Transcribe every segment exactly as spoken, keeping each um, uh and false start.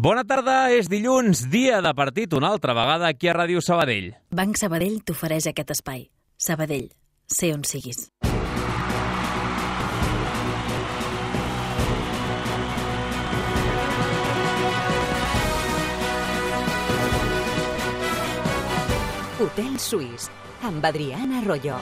Bona tarda, és dilluns, dia de partit una altra vegada aquí a Ràdio Sabadell. Banc Sabadell t'ofereix aquest espai. Sabadell, sé on siguis. Hotel Suís, amb Adriana Arroyo.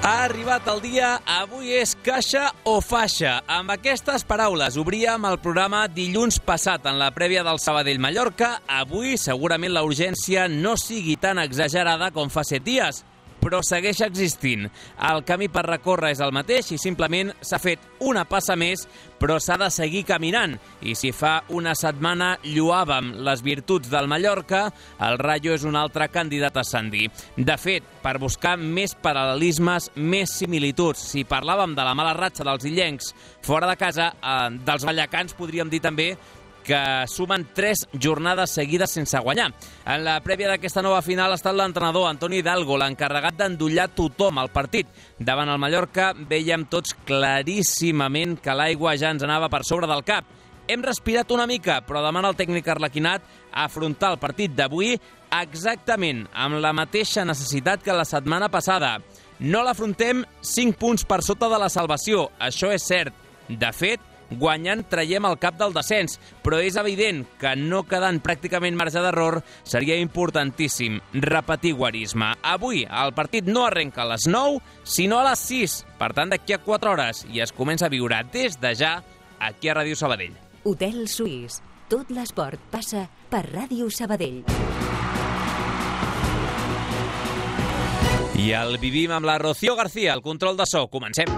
Ha arribat el dia, avui és caixa o faixa. Amb aquestes paraules obríem el programa dilluns passat en la prèvia del Sabadell-Mallorca. Avui segurament la urgència no sigui tan exagerada com fa set dies, però segueix existint. El camí per recórrer és el mateix i simplement s'ha fet una passa més, però s'ha de seguir caminant. I si fa una setmana lloàvem les virtuts del Mallorca, el Rayo és un altre candidat a ascendir. De fet, per buscar més paral·lelismes, més similituds, si parlàvem de la mala ratxa dels illencs fora de casa, eh, dels ballacans podríem dir també que sumen tres jornades seguides sense guanyar. En la prèvia d'aquesta nova final ha estat l'entrenador Antoni Hidalgo, l'encarregat d'endollar tothom al partit. Davant el Mallorca vèiem tots claríssimament que l'aigua ja ens anava per sobre del cap. Hem respirat una mica, però demana el tècnic arlequinat a afrontar el partit d'avui exactament amb la mateixa necessitat que la setmana passada. No l'afrontem cinc punts per sota de la salvació, això és cert. De fet, guanyant traiem el cap del descens, però és evident que no quedant pràcticament marge d'error seria importantíssim repetir guarisme. Avui el partit no arrenca a les nou, sinó a les sis, per tant d'aquí a quatre hores, i es comença a viure des de ja aquí a Ràdio Sabadell. Hotel Suís, tot l'esport passa per Ràdio Sabadell. I el vivim amb la Rocío García, el control de so. Comencem.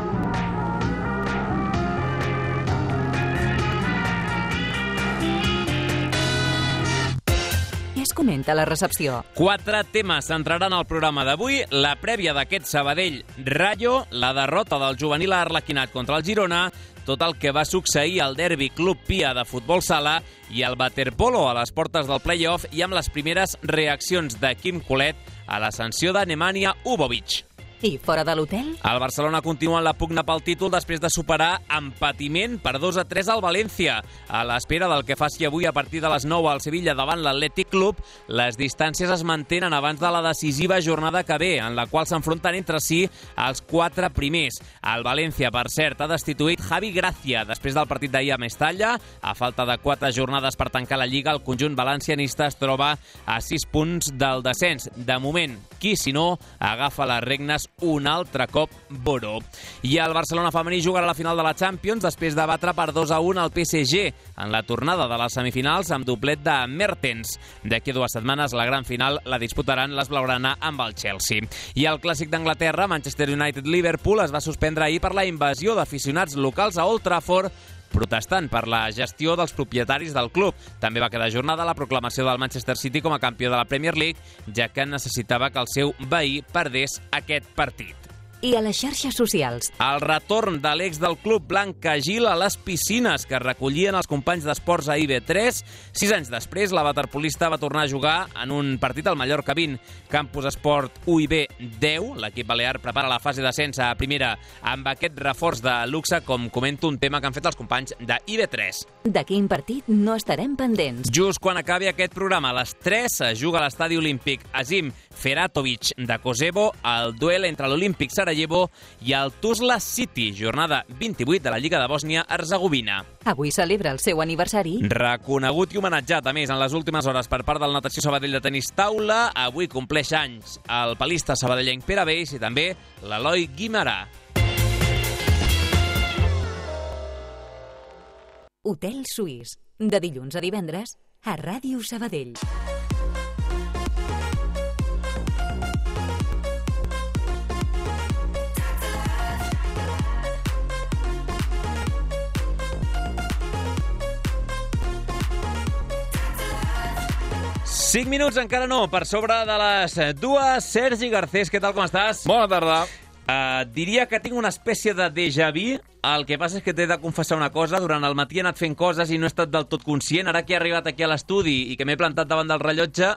Es comenta a la recepció. Quatre temes centraran el programa d'avui: la prèvia d'aquest Sabadell-Rayo, la derrota del juvenil arlequinat contra el Girona, tot el que va succeir al derbi Club Pia de futbol sala i el waterpolo a les portes del play-off, i amb les primeres reaccions de Quim Colet a la sanció de Nemanja Ubovic. I fora de l'hotel? El Barcelona continua en la pugna pel títol després de superar amb patiment per dos a tres al València. A l'espera del que faci avui a partir de les nou al Sevilla davant l'Atlètic Club, les distàncies es mantenen abans de la decisiva jornada que ve, en la qual s'enfronten entre si els quatre primers. El València, per cert, ha destituït Javi Gracia després del partit d'ahir a Mestalla. A falta de quatre jornades per tancar la Lliga, el conjunt valencianista es troba a sis punts del descens. De moment, qui, si no, agafa les regnes un altre cop Boró. I el Barcelona femení jugarà a la final de la Champions després de batre per dos a un al P S G en la tornada de les semifinals amb doblet de Mertens. D'aquí a dues setmanes la gran final la disputaran les blaugrana amb el Chelsea. I el clàssic d'Anglaterra, Manchester United-Liverpool, es va suspendre ahir per la invasió d'aficionats locals a Old Trafford, protestant per la gestió dels propietaris del club. També va quedar ajornada la proclamació del Manchester City com a campió de la Premier League, ja que necessitava que el seu veí perdés aquest partit. I a les xarxes socials. El retorn de l'ex del club Blanca Gil a les piscines que recollien els companys d'esports a I B tres. Sis anys després, la waterpolista va tornar a jugar en un partit al Mallorca vint. Campus Esport U I B deu, l'equip balear prepara la fase d'ascens a primera amb aquest reforç de luxe, com comento, un tema que han fet els companys de I B tres. De quin partit no estarem pendents? Just quan acabi aquest programa, a les tres, es juga a l'estadi olímpic Azim Feratovic de Kosovo, el duel entre l'Olímpic Sarajevo i el Tuzla City, jornada vint-i-vuit de la Lliga de Bòsnia-Herzegovina. Avui celebra el seu aniversari. Reconegut i homenatjat, a més, en les últimes hores per part del Natació Sabadell de tenis taula. Avui compleix anys el palista sabadellenc Pere Beix i també l'Eloi Guimarà. Hotel Suís, de dilluns a divendres a Ràdio Sabadell. Cinc minuts encara no, per sobre de les dues. Sergi Garcés, què tal, com estàs? Bona tarda. Uh, diria que tinc una espècie de déjà vu. El que passa és que t'he de confessar una cosa. Durant el matí he anat fent coses i no he estat del tot conscient. Ara que he arribat aquí a l'estudi i que m'he plantat davant del rellotge,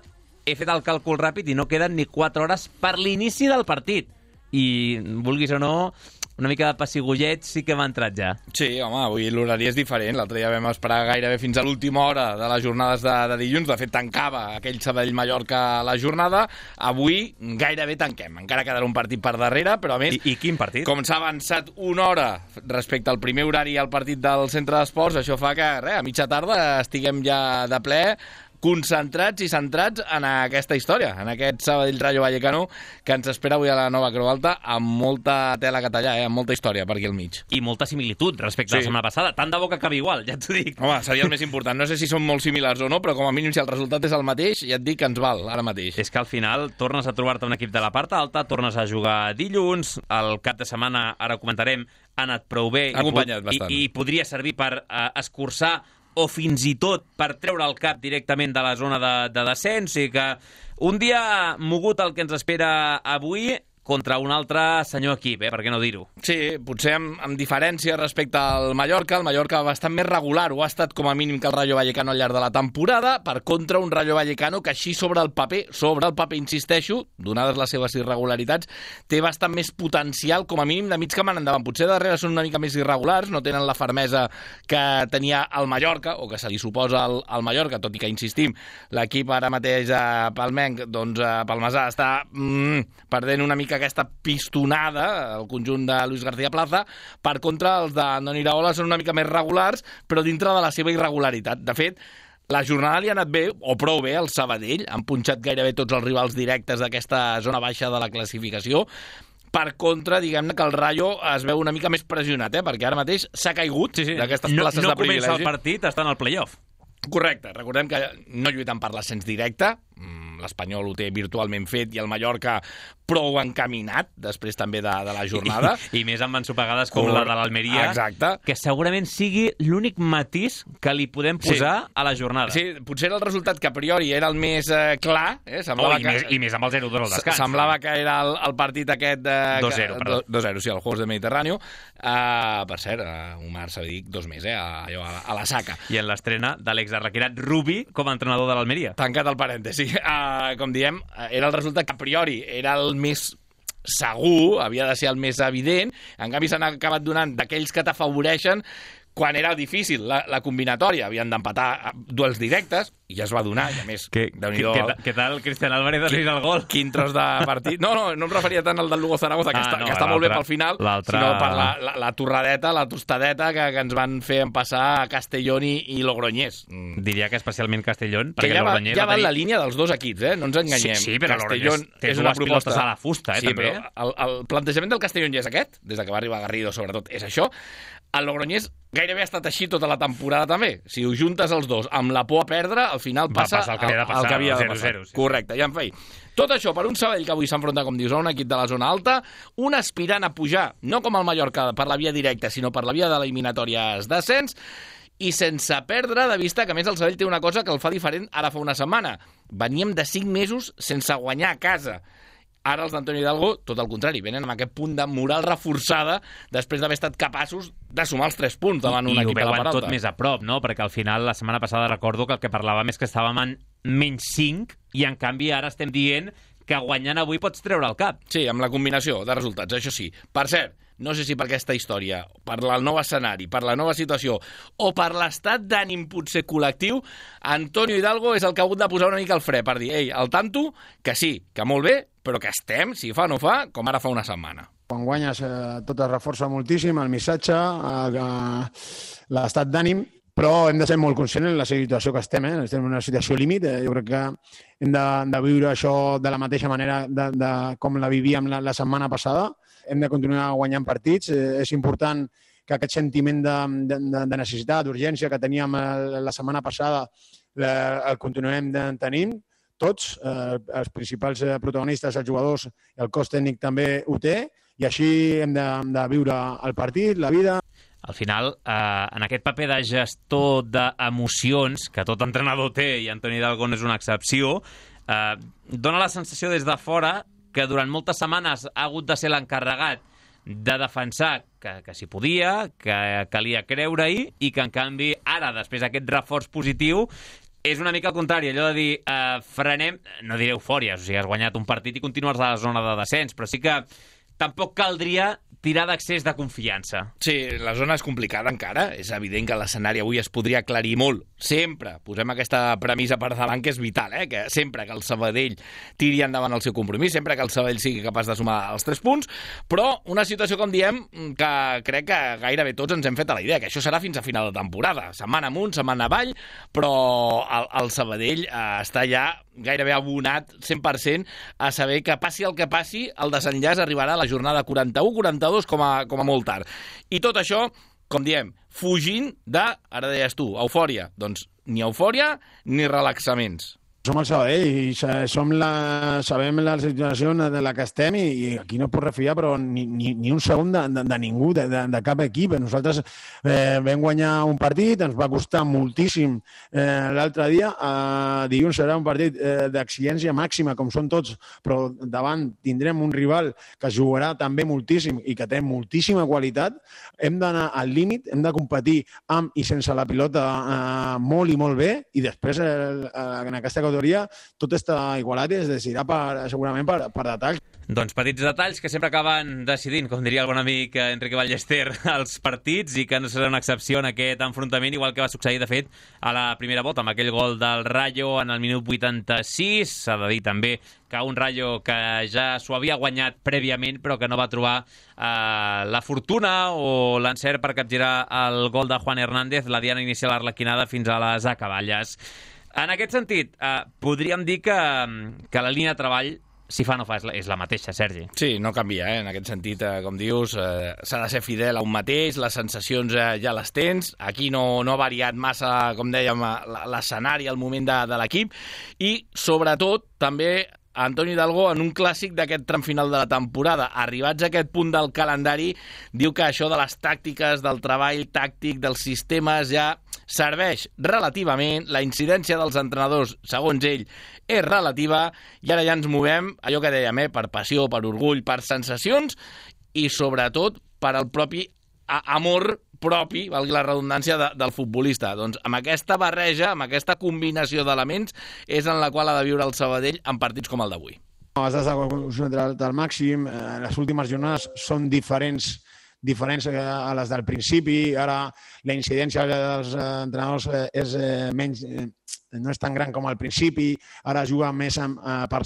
he fet el càlcul ràpid i no queden ni quatre hores per l'inici del partit. I, vulguis o no, una mica de pessigollet sí que m'ha entrat ja. Sí, home, avui l'horari és diferent. L'altre dia vam esperar gairebé fins a l'última hora de les jornades de, de dilluns. De fet, tancava aquell Sabadell-Mallorca la jornada. Avui gairebé tanquem. Encara quedarà un partit per darrere, però a més... I, i quin partit? Com s'ha avançat una hora respecte al primer horari al partit del centre d'esports, això fa que, res, a mitja tarda estiguem ja de ple concentrats i centrats en aquesta història, en aquest Sabadell Rayo Vallecano que ens espera avui a la Nova Creu Alta amb molta tela que tallar, eh? Amb molta història per aquí al mig. I molta similitud respecte sí. a la setmana passada. Tant de bo que acabi igual, ja t'ho dic. Home, seria el més important. No sé si són molt similars o no, però com a mínim si el resultat és el mateix, ja et dic que ens val ara mateix. És que al final tornes a trobar-te un equip de la part alta, tornes a jugar dilluns, el cap de setmana, ara ho comentarem, ha anat prou bé ha acompanyat i, bastant. i, i podria servir per uh, escurçar o fins i tot per treure el cap directament de la zona de, de descens, i que un dia mogut el que ens espera avui contra un altre senyor equip, eh? Per què no dir-ho? Sí, potser amb, amb diferència respecte al Mallorca. El Mallorca bastant més regular, ho ha estat com a mínim que el Rayo Vallecano al llarg de la temporada, per contra un Rayo Vallecano que així sobre el paper, sobre el paper, insisteixo, donades les seves irregularitats, té bastant més potencial, com a mínim de mig camp en endavant. Potser darrere són una mica més irregulars, no tenen la fermesa que tenia el Mallorca, o que se li suposa al, al Mallorca, tot i que, insistim, l'equip ara mateix a Palmenc, doncs a Palmasà, està mm, perdent una mica aquesta pistonada, el conjunt de Luis García Plaza. Per contra, els d'Andoni Iraola són una mica més regulars, però dintre de la seva irregularitat. De fet, la jornada li ha anat bé, o prou bé, al Sabadell. Han punxat gairebé tots els rivals directes d'aquesta zona baixa de la classificació. Per contra, diguem-ne que el Rayo es veu una mica més pressionat, eh? Perquè ara mateix s'ha caigut sí, sí. d'aquestes places no, no de privilegi. No comença el partit, està en el play-off. Correcte, recordem que no lluiten per l'ascens directe, l'Espanyol ho té virtualment fet i el Mallorca prou encaminat, després també de, de la jornada. I, i més amb ensopegades com Cor... la de l'Almeria, exacte. Que segurament sigui l'únic matís que li podem posar sí. a la jornada. Sí, potser era el resultat que a priori era el més eh, clar. Eh? Oh, i, que... més, I més amb el zero dos al descans. Semblava que era el, el partit aquest... De... dos zero, perdó. dos zero, sí, el Juegos del Mediterrani. Uh, per cert, uh, Omar Sabidic, dos més, eh, a, a, a la saca. I en l'estrena de l'exarrequirat Rubi com a entrenador de l'Almeria. Tancat el parèntesi. Uh, com diem, era el resultat que a priori era el més segur, havia de ser el més evident. En canvi s'han acabat donant d'aquells que t'afavoreixen quan era difícil la, la combinatòria. Havien d'empatar duels directes i ja es va donar, i a més, que, Déu-n'hi-do... Què, què tal Cristian Álvarez de el gol? Quin tros de partit... No, no, no em referia tant al del Lugo Zaragoza, que, ah, està, no, que està molt bé pel final, sinó per la, la, la torradeta, la tostadeta que, que ens van fer passar a Castellón i, i Logroñés. Mm. Diria que especialment Castellón, que perquè ja va, Logroñés... Ja va en tenir... la línia dels dos equips, eh? No ens enganyem. Sí, sí, però Castellón Logroñés té és una dues proposta pilotes a la fusta, eh, sí, també. Però el, el plantejament del Castellón ja és aquest, des de que va arribar Garrido, sobretot, és això. El Logroñés gairebé ha estat així tota la temporada també. Si ho juntes els dos amb la por a perdre, al final passa el que havia de passar, el que havia de zero zero. Sí. Correcte, ja en feia. Tot això per un Sabadell que avui s'enfronta, com dius, a un equip de la zona alta, un aspirant a pujar, no com el Mallorca per la via directa, sinó per la via de l'eliminatòries d'ascens, i sense perdre de vista que, a més, el Sabadell té una cosa que el fa diferent ara fa una setmana. Veníem de cinc mesos sense guanyar a casa. Ara els d'Antonio Hidalgo, tot el contrari, venen amb aquest punt de moral reforçada després d'haver estat capaços de sumar els tres punts davant un equip de la part alta. I ho veuen tot més a prop, no? Perquè al final, la setmana passada, recordo que el que parlàvem és que estàvem en menys cinc i, en canvi, ara estem dient que guanyant avui pots treure el cap. Sí, amb la combinació de resultats, això sí. Per cert, no sé si per aquesta història, per el nou escenari, per la nova situació o per l'estat d'ànim potser col·lectiu, Antonio Hidalgo és el que ha hagut de posar una mica el fre per dir, ei, al tanto, que sí, que molt bé, però que estem, si fa o no fa, com ara fa una setmana. Quan guanyes eh, tot es reforça moltíssim, el missatge, eh, eh, l'estat d'ànim, però hem de ser molt conscients en la situació que estem, eh? Estem en una situació límit. Eh? Jo crec que hem de, de viure això de la mateixa manera de, de com la vivíem la, la setmana passada. Hem de continuar guanyant partits. Eh, és important que aquest sentiment de, de, de necessitat, d'urgència que teníem la setmana passada, la, el continuem tenint tots, eh, els principals protagonistes, els jugadors, el cos tècnic també ho té, i així hem de, hem de viure el partit, la vida. Al final, eh, en aquest paper de gestor d'emocions, que tot entrenador té, i Antoni Hidalgo és una excepció, eh, dona la sensació des de fora que durant moltes setmanes ha hagut de ser l'encarregat de defensar que, que s'hi podia, que calia creure-hi, i que, en canvi, ara, després d'aquest reforç positiu, és una mica el contrari, allò de dir uh, frenem, no diré eufòries, o sigui, has guanyat un partit i continues a la zona de descens, però sí que tampoc caldria tirar d'accés de confiança. Sí, la zona és complicada encara. És evident que l'escenari avui es podria aclarir molt. Sempre posem aquesta premissa per davant, que és vital, eh? Que sempre que el Sabadell tiri endavant el seu compromís, sempre que el Sabadell sigui capaç de sumar els tres punts, però una situació, com diem, que crec que gairebé tots ens hem fet a la idea, que això serà fins a final de temporada. Setmana amunt, setmana avall, però el, el Sabadell eh, està ja gairebé abonat cent per cent a saber que passi el que passi, el desenllaç arribarà a la jornada quaranta-u quaranta-dos com a, com a molt tard. I tot això, com diem, fugint de, ara deies tu, eufòria. Doncs ni eufòria ni relaxaments. Som el Sabadell i som la, sabem la situació de la que estem i, i aquí no es pot refiar però ni, ni, ni un segon de, de, de ningú, de, de, de cap equip. Nosaltres eh, vam guanyar un partit, ens va costar moltíssim eh, l'altre dia. Eh, dilluns serà un partit eh, d'exigència màxima, com són tots, però davant tindrem un rival que jugarà també moltíssim i que té moltíssima qualitat. Hem d'anar al límit, hem de competir amb i sense la pilota eh, molt i molt bé i després eh, en aquesta categoria tot està igualat i es decidirà per, segurament per, per detalls. Doncs petits detalls que sempre acaben decidint, com diria el bon amic Enrique Ballester, els partits, i que no serà una excepció en aquest enfrontament, igual que va succeir, de fet, a la primera volta, amb aquell gol del Rayo en el minut vuitanta-sis. S'ha de dir també que un Rayo que ja s'ho havia guanyat prèviament, però que no va trobar eh, la fortuna o l'encert per capgirar el gol de Juan Hernández, la diana inicial arlequinada fins a les acaballes. En aquest sentit, eh, podríem dir que, que la línia de treball, si fa no fa, és la, és la mateixa, Sergi. Sí, no canvia, eh? En aquest sentit, eh, com dius, eh, s'ha de ser fidel a un mateix, les sensacions eh, ja les tens, aquí no, no ha variat massa, com dèiem, l'escenari, el moment de, de l'equip, i sobretot també Antoni Hidalgo, en un clàssic d'aquest tram final de la temporada, arribats a aquest punt del calendari, diu que això de les tàctiques, del treball tàctic, dels sistemes, ja serveix relativament, la incidència dels entrenadors, segons ell, és relativa, i ara ja ens movem, allò que dèiem, eh, per passió, per orgull, per sensacions, i sobretot per al propi amor propi, valgui la redundància, de, del futbolista. Doncs amb aquesta barreja, amb aquesta combinació d'elements, és en la qual ha de viure el Sabadell en partits com el d'avui. Has de concentrar al màxim, eh, les últimes jornades són diferents diferents a les del principi, ara la incidència dels entrenadors és eh, menys, eh, no és tan gran com al principi, ara juga més amb, eh, per,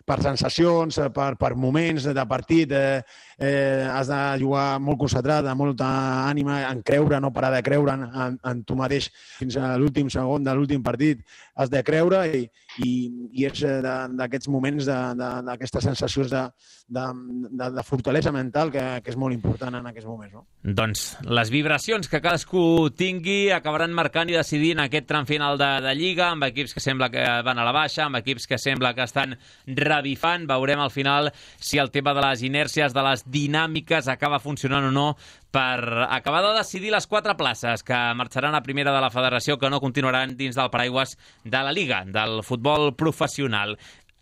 per sensacions, per, per moments de partit, eh, eh, has de jugar molt concentrat, amb molta ànima, en creure, no parar de creure en, en, en tu mateix fins a l'últim segon de l'últim partit, has de creure i, i, i és d'aquests moments, d'aquestes sensacions de, de, de, de fortalesa mental que, que és molt important en aquests moments. No? Doncs les vibracions que cadascú tingui acabaran marcant i decidint aquest tram final de, de Lliga, amb equips que sembla que van a la baixa, amb equips que sembla que estan revifant. Veurem al final si el tema de les inèrcies, de les dinàmiques acaba funcionant o no per acabar de decidir les quatre places que marxaran a primera de la federació, que no continuaran dins del paraigües de la Lliga, del futbol professional.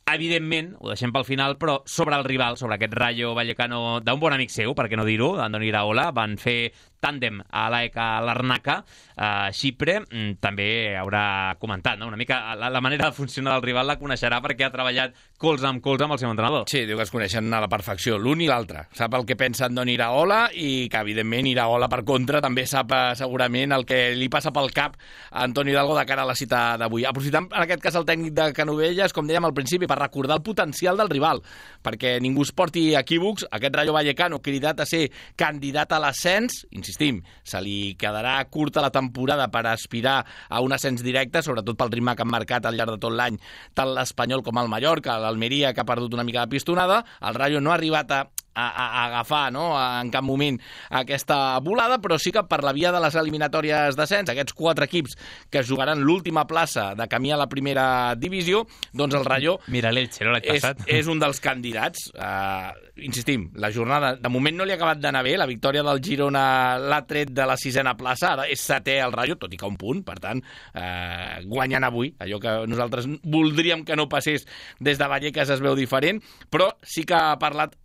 Evidentment, ho deixem pel final, però sobre el rival, sobre aquest Rayo Vallecano d'un bon amic seu, per què no dir-ho, Andoni Iraola, van fer tàndem a l'A E K Larnaca, a Xipre, també haurà comentat, no? Una mica la, la manera de funcionar del rival la coneixerà perquè ha treballat colze amb colze amb el seu entrenador. Sí, diu que es coneixen a la perfecció, l'un i l'altre. Sap el que pensa Andoni Iraola i que, evidentment, Iraola, per contra, també sap segurament el que li passa pel cap a Antoni Hidalgo de cara a la cita d'avui. Aprofitant, en aquest cas, el tècnic de Canovelles, com dèiem al principi, per recordar el potencial del rival, perquè ningú es porti equívocs. Aquest Rayo Vallecano, cridat a ser candidat a l'ascens, insistim, se li quedarà curta la temporada per aspirar a un ascens directe, sobretot pel ritme que han marcat al llarg de tot l'any tant l'Espanyol com el Mallorca, l'Almeria, que ha perdut una mica de pistonada. El Rayo no ha arribat a A, a agafar, no?, en cap moment aquesta volada, però sí que per la via de les eliminatòries d'ascens, aquests quatre equips que jugaran l'última plaça de camí a la primera divisió, doncs el Rayo Mira l'Elche, no l'any és, passat. és un dels candidats. Uh, insistim, la jornada de moment no li ha acabat d'anar bé, la victòria del Girona l'ha tret de la sisena plaça, ara és setè el Rayo, tot i que un punt, per tant, uh, guanyant avui, allò que nosaltres voldríem que no passés des de Vallecas es veu diferent, però sí que ha parlat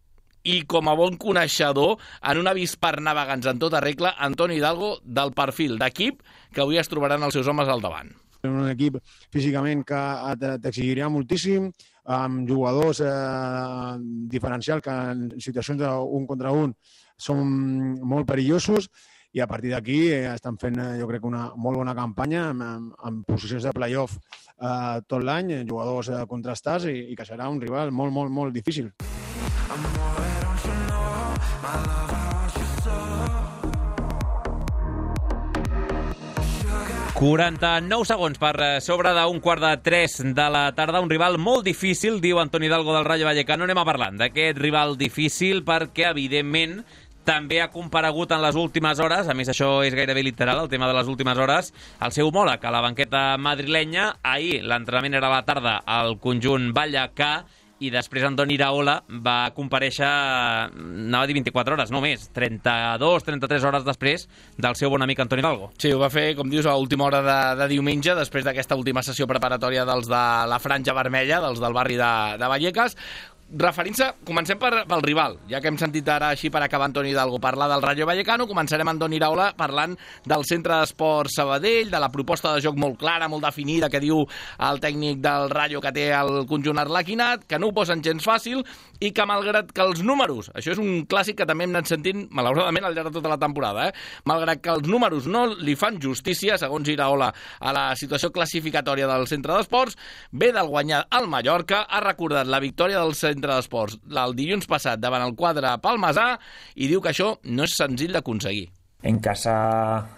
i com a bon coneixedor, en un avís per navegants en tota regla, Antoni Hidalgo, del perfil d'equip que avui es trobaran els seus homes al davant. un equip físicament que t'exigiria moltíssim, amb jugadors eh, diferencials que en situacions d'un contra un són molt perillosos, i a partir d'aquí eh, estan fent, eh, jo crec, una molt bona campanya amb, amb posicions de play-off eh, tot l'any, jugadors eh, contrastats, i, i que serà un rival molt, molt, molt difícil. quaranta-nou segons per sobre d'un quart de tres de la tarda. Un rival molt difícil, diu Antoni Hidalgo del Rayo Vallecano. Anem a parlant d'aquest rival difícil perquè, evidentment, també ha comparegut en les últimes hores, a més això és gairebé literal, el tema de les últimes hores, el seu homòleg a la banqueta madrilenya. Ahir l'entrenament era a la tarda al conjunt vallecà, i després Andoni Iraola va comparèixer, anava a dir vint-i-quatre hores, no més, trenta-dues trenta-tres hores després del seu bon amic Antoni Hidalgo. Sí, ho va fer, com dius, a última hora de, de diumenge, després d'aquesta última sessió preparatòria dels de la Franja Vermella, dels del barri de, de Vallecas. Referint-se, comencem per, pel rival. Ja que hem sentit ara, així per acabar, Antoni Hidalgo parlar del Rayo Vallecano, començarem amb Andoni Iraola parlant del Centre d'Esports Sabadell, de la proposta de joc molt clara, molt definida, que diu el tècnic del Rayo que té el conjunt arlequinat, que no ho posen gens fàcil, i que malgrat que els números, això és un clàssic que també hem anat sentint, malauradament, al llarg de tota la temporada, eh? malgrat que els números no li fan justícia, segons Iraola, a la situació classificatòria del Centre d'Esports, ve del guanyar al Mallorca, ha recordat la victòria del Centre d'Esports el dilluns passat davant el quadre palmesà, i diu que això no és senzill d'aconseguir. En casa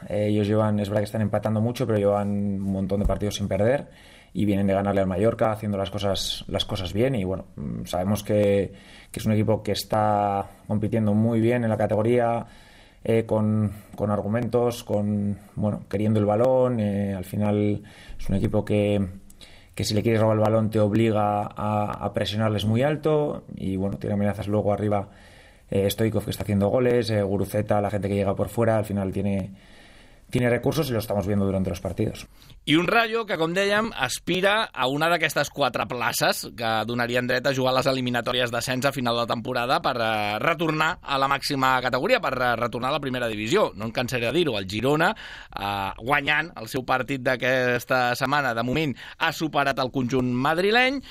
eh, ellos llevan, es verdad que están empatando mucho, pero llevan un montón de partidos sin perder y vienen de ganarle al Mallorca haciendo las cosas, las cosas bien, y bueno, sabemos que, que es un equipo que está compitiendo muy bien en la categoría, eh, con, con argumentos, con bueno, queriendo el balón, eh, al final es un equipo que que si le quieres robar el balón te obliga a, a presionarles muy alto, y bueno, tiene amenazas luego arriba, eh, Stoichkov, que está haciendo goles, eh, Guruceta, la gente que llega por fuera, al final tiene, tiene recursos, y lo estamos viendo durante los partidos. I un Rayo que, com dèiem, aspira a una d'aquestes quatre places que donarien dret a jugar les eliminatòries d'ascens a final de temporada per eh, retornar a la màxima categoria, per eh, retornar a la primera divisió. No em cansaré de dir-ho, el Girona, eh, guanyant el seu partit d'aquesta setmana, de moment ha superat el conjunt madrileny,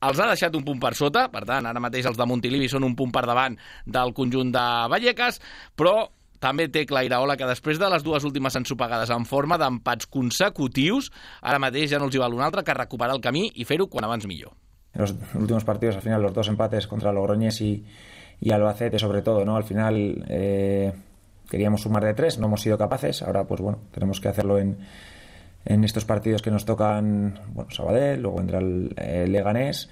els ha deixat un punt per sota, per tant, ara mateix els de Montilivi són un punt per davant del conjunt de Vallecas, però també té clar Iraola que després de les dues últimes ensopegades en forma d'empats consecutius, ara mateix ja no els hi val un altre que recuperar el camí i fer-ho quan abans millor. En los últimos partidos, al final, los dos empates contra Logroñés y, y Albacete, sobre todo, ¿no? Al final eh, queríamos sumar de tres, no hemos sido capaces. Ahora, pues bueno, tenemos que hacerlo en, en estos partidos que nos tocan, bueno, Sabadell, luego vendrá el, el Leganés.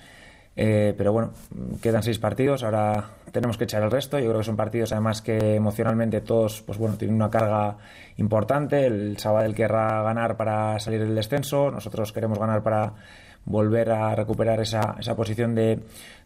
Eh, pero bueno, quedan seis partidos, ahora tenemos que echar el resto. Yo creo que son partidos además que emocionalmente todos, pues bueno, tienen una carga importante. El Sabadell querrá ganar para salir del descenso, nosotros queremos ganar para volver a recuperar esa, esa posición de,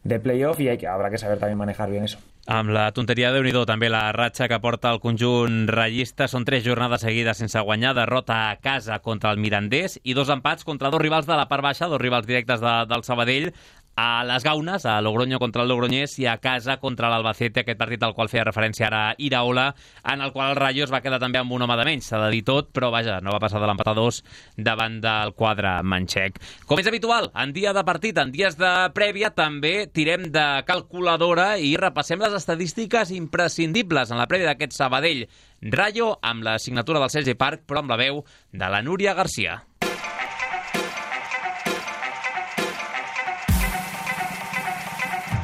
de playoff, y hay que, habrá que saber también manejar bien eso. Amb la tonteria de Déu-n'hi-do, també la ratxa que porta el conjunt rayista. Són tres jornades seguides sense guanyar, derrota a casa contra el Mirandés i dos empats contra dos rivals de la part baixa, dos rivals directes de, del Sabadell, a les Gaunes, a Logroño contra el Logroñés, i a casa contra l'Albacete, aquest partit al qual feia referència ara Iraola, en el qual el Rayo es va quedar també amb un home de menys, s'ha de dir tot, però vaja, no va passar de l'empat a dos davant del quadre manxec. Com és habitual, en dia de partit, en dies de prèvia, també tirem de calculadora i repassem les estadístiques imprescindibles en la prèvia d'aquest Sabadell Rayo, amb la signatura del Sergi Parc, però amb la veu de la Núria Garcia.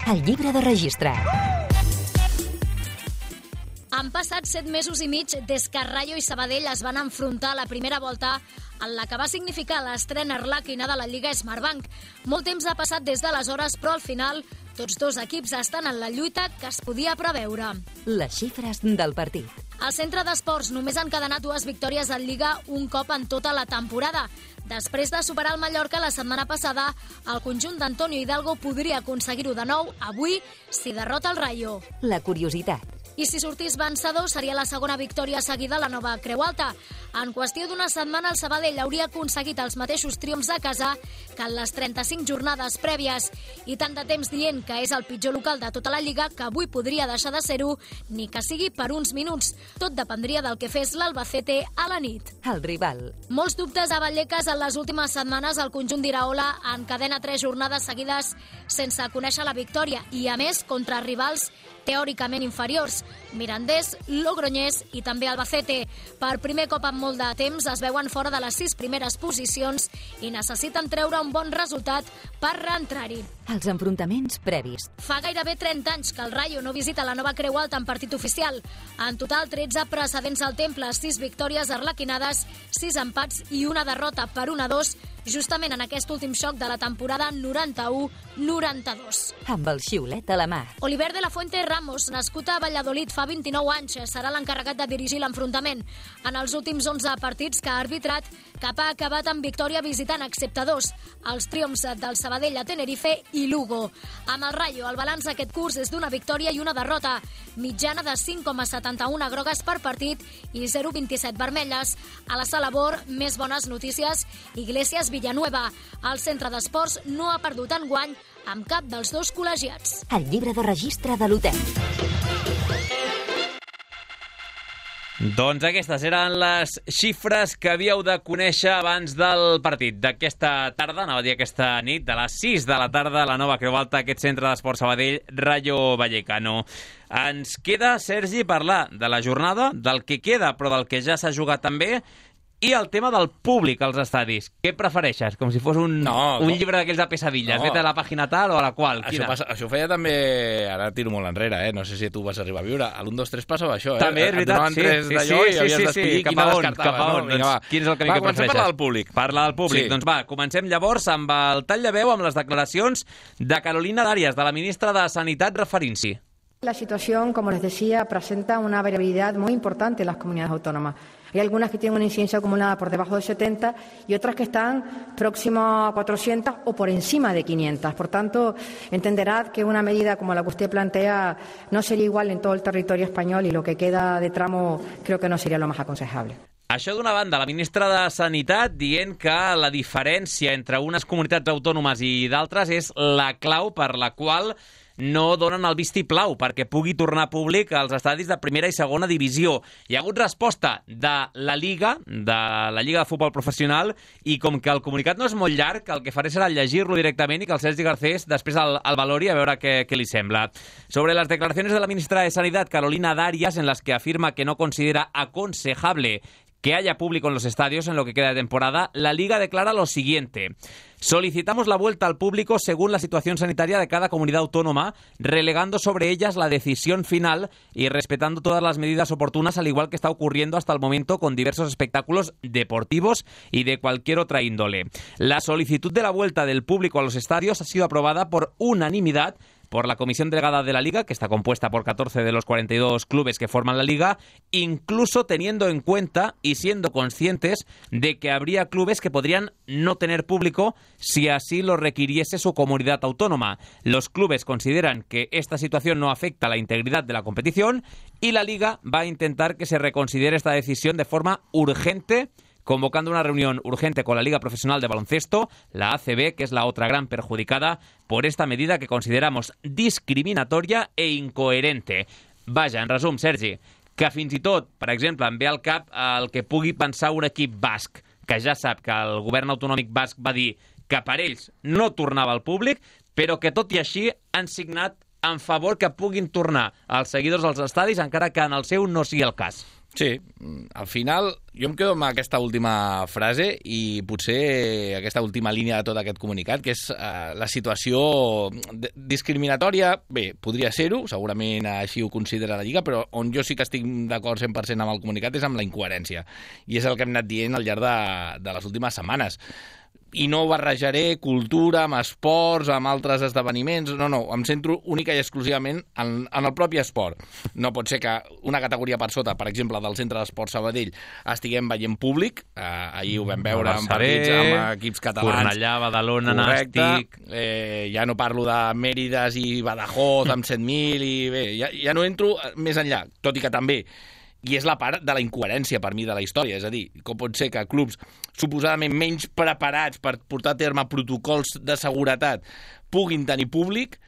El llibre de registre. Han passat set mesos i mig des que Rayo i Sabadell es van enfrontar a la primera volta en la que va significar l'estrena arlequina de la Lliga Smartbank. Molt temps ha passat des d'aleshores, però al final tots dos equips estan en la lluita que es podia preveure. Les xifres del partit. Al Centre d'Esports només han encadenat dues victòries en Lliga un cop en tota la temporada. Després de superar el Mallorca la setmana passada, el conjunt d'Antonio Hidalgo podria aconseguir-ho de nou avui si derrota el Rayo. La curiositat. i si sortís vencedor seria la segona victòria seguida a la nova Creu Alta. En qüestió d'una setmana, el Sabadell hauria aconseguit els mateixos triomfs a casa que en les trenta-cinc jornades prèvies, i tant de temps dient que és el pitjor local de tota la Lliga que avui podria deixar de ser-ho, ni que sigui per uns minuts. Tot dependria del que fes l'Albacete a la nit. El rival. Molts dubtes a Vallecas en les últimes setmanes. El conjunt d'Iraola encadena tres jornades seguides sense conèixer la victòria i, a més, contra rivals teòricament inferiors, Mirandés, Logroñés i també Albacete. Per primer cop en molt de temps es veuen fora de les sis primeres posicions i necessiten treure un bon resultat per reentrar-hi. Els enfrontaments previs. Fa gairebé trenta anys que el Rayo no visita la nova Creu Alta en partit oficial. En total, tretze precedents al Temple, sis victòries arlequinades, sis empats i una derrota per un a dos, justament en aquest últim xoc de la temporada noranta-u noranta-dos. Amb el xiulet a la mà. Oliver de la Fuente Ramos, nascut a Valladolid fa vint-i-nou anys, serà l'encarregat de dirigir l'enfrontament. En els últims onze partits que ha arbitrat, cap ha acabat amb victòria visitant, excepte dos, els triomfs del Sabadell a Tenerife i Lugo. Amb el Rayo, el balanç aquest curs és d'una victòria i una derrota, mitjana de cinc coma setanta-u grogues per partit i zero coma vint-i-set vermelles. A la sala Bor, més bones notícies, Iglesias Villanueva. El centre d'esports no ha perdut enguany amb cap dels dos col·legiats. El llibre de registre de l'hotel. Doncs aquestes eren les xifres que havíeu de conèixer abans del partit d'aquesta tarda, anava a dir aquesta nit, de les sis de la tarda a la nova Creu Alta, aquest centre d'esport Sabadell, Rayo Vallecano. Ens queda, Sergi, parlar de la jornada, del que queda, però del que ja s'ha jugat també, i el tema del públic als estadis. Què prefereixes? Com si fos un, no, un no. llibre d'aquells de pesadilles. No. Vete a la pàgina tal o a la qual. Això, passa, això feia també... Ara tiro molt enrere, eh? No sé si tu vas arribar a viure. A l'un, dos, tres passava això, eh? També, és veritat. Sí, sí, sí, sí, sí, sí, sí. Cap a on? Cap a on? No? Doncs, quin és el camí va, que prefereixes? Va, parlar del públic. Parla del públic. Sí. Doncs va, comencem llavors amb el tall de veu amb les declaracions de Carolina Darias, de la ministra de Sanitat, referint-s'hi. La situación, como les decía, presenta una variabilidad muy importante en las comunidades autónomas. Hay algunas que tienen una incidencia acumulada por debajo de setenta y otras que están próximas a cuatrocientas o por encima de quinientas. Por tanto, entenderá que una medida como la que usted plantea no sería igual en todo el territorio español y lo que queda de tramo creo que no sería lo más aconsejable. Això d'una banda, la ministra de Sanitat dient que la diferència entre unes comunitats autònomes i d'altres és la clau per la qual no donen el vistiplau perquè pugui tornar públic als estadis de primera i segona divisió. Hi ha hagut resposta de la Lliga, de la Lliga de Futbol Professional, i com que el comunicat no és molt llarg, el que faré serà llegir-lo directament i que el Sergi Garcés després el, el valori a veure què, què li sembla. Sobre las declaraciones de la ministra de Sanidad, Carolina Darias, en las que afirma que no considera aconsejable que haya público en los estadios en lo que queda de temporada, la Liga declara lo siguiente. Solicitamos la vuelta al público según la situación sanitaria de cada comunidad autónoma, relegando sobre ellas la decisión final y respetando todas las medidas oportunas, al igual que está ocurriendo hasta el momento con diversos espectáculos deportivos y de cualquier otra índole. La solicitud de la vuelta del público a los estadios ha sido aprobada por unanimidad por la Comisión Delegada de la Liga, que está compuesta por catorce de los cuarenta y dos clubes que forman la Liga, incluso teniendo en cuenta y siendo conscientes de que habría clubes que podrían no tener público si así lo requiriese su comunidad autónoma. Los clubes consideran que esta situación no afecta a la integridad de la competición y la Liga va a intentar que se reconsidere esta decisión de forma urgente, convocando una reunión urgente con la Liga Profesional de Baloncesto, la A C B, que es la otra gran perjudicada por esta medida que consideramos discriminatoria e incoherente. Vaja, en resum, Sergi, que fins i tot, per exemple, em ve al cap el que pugui pensar un equip basc, que ja sap que el govern autonòmic basc va dir que per ells no tornava al públic, però que tot i així han signat en favor que puguin tornar els seguidors als estadis, encara que en el seu no sigui el cas. Sí, al final jo em quedo amb aquesta última frase i potser aquesta última línia de tot aquest comunicat, que és eh, la situació discriminatòria. Bé, podria ser-ho, segurament així ho considera la Lliga, però on jo sí que estic d'acord cent per cent amb el comunicat és amb la incoherència. I és el que hem anat dient al llarg de, de les últimes setmanes. i no barrejaré cultura amb esports, amb altres esdeveniments, no, no, em centro única i exclusivament en, en el propi esport. No pot ser que una categoria per sota, per exemple, del Centre d'Esport Sabadell, estiguem veient públic, eh, ahir ho vam veure en partits amb equips catalans. Cornellà, Badalona, Nàstic... Eh, ja no parlo de Mèrides i Badajoz amb set mil, i bé, ja, ja no entro més enllà, tot i que també. I és la part de la incoherència per mi de la història, és a dir, com pot ser que clubs suposadament menys preparats per portar a terme protocols de seguretat puguin tenir públic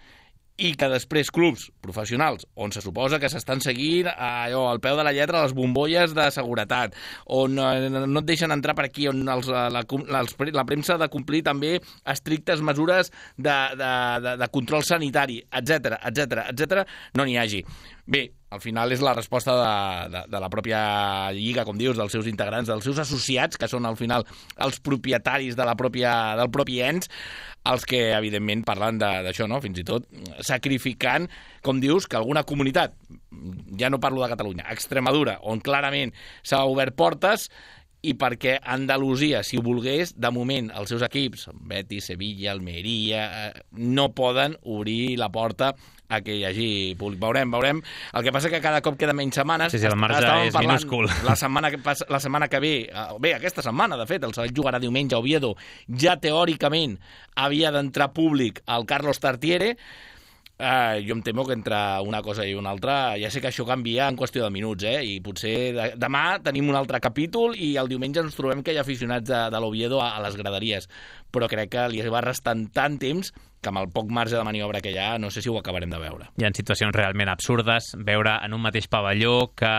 i que després clubs professionals, on se suposa que s'estan seguint allò, al peu de la lletra les bombolles de seguretat, on no et deixen entrar per aquí, on els, la, la, la premsa ha de complir també estrictes mesures de, de, de, de control sanitari, etcètera, etcètera, etcètera, no n'hi hagi. Bé, al final és la resposta de, de, de la pròpia lliga, com dius, dels seus integrants, dels seus associats, que són al final els propietaris de la pròpia, del propi ens, els que, evidentment, parlen d'això, no? Fins i tot sacrificant, com dius, que alguna comunitat, ja no parlo de Catalunya, Extremadura, on clarament s'ha obert portes, i perquè Andalusia, si ho volgués, de moment els seus equips, Betis, Sevilla, Almeria, eh, no poden obrir la porta a que hi hagi públic. Veurem, veurem. El que passa que cada cop queda menys setmanes. Sí, sí, el marge és minúscul. La setmana, que passa, la setmana que ve, bé, aquesta setmana, de fet, el Sabadell jugarà diumenge a Oviedo, ja teòricament havia d'entrar públic al Carlos Tartiere. Uh, jo em temo que entre una cosa i una altra ja sé que això canvia en qüestió de minuts, eh? I potser de, demà tenim un altre capítol i el diumenge ens trobem que hi ha aficionats de, de l'Oviedo a, a les graderies, però crec que li va restant tant temps que amb el poc marge de maniobra que hi ha no sé si ho acabarem de veure. Hi ha situacions realment absurdes, veure en un mateix pavelló que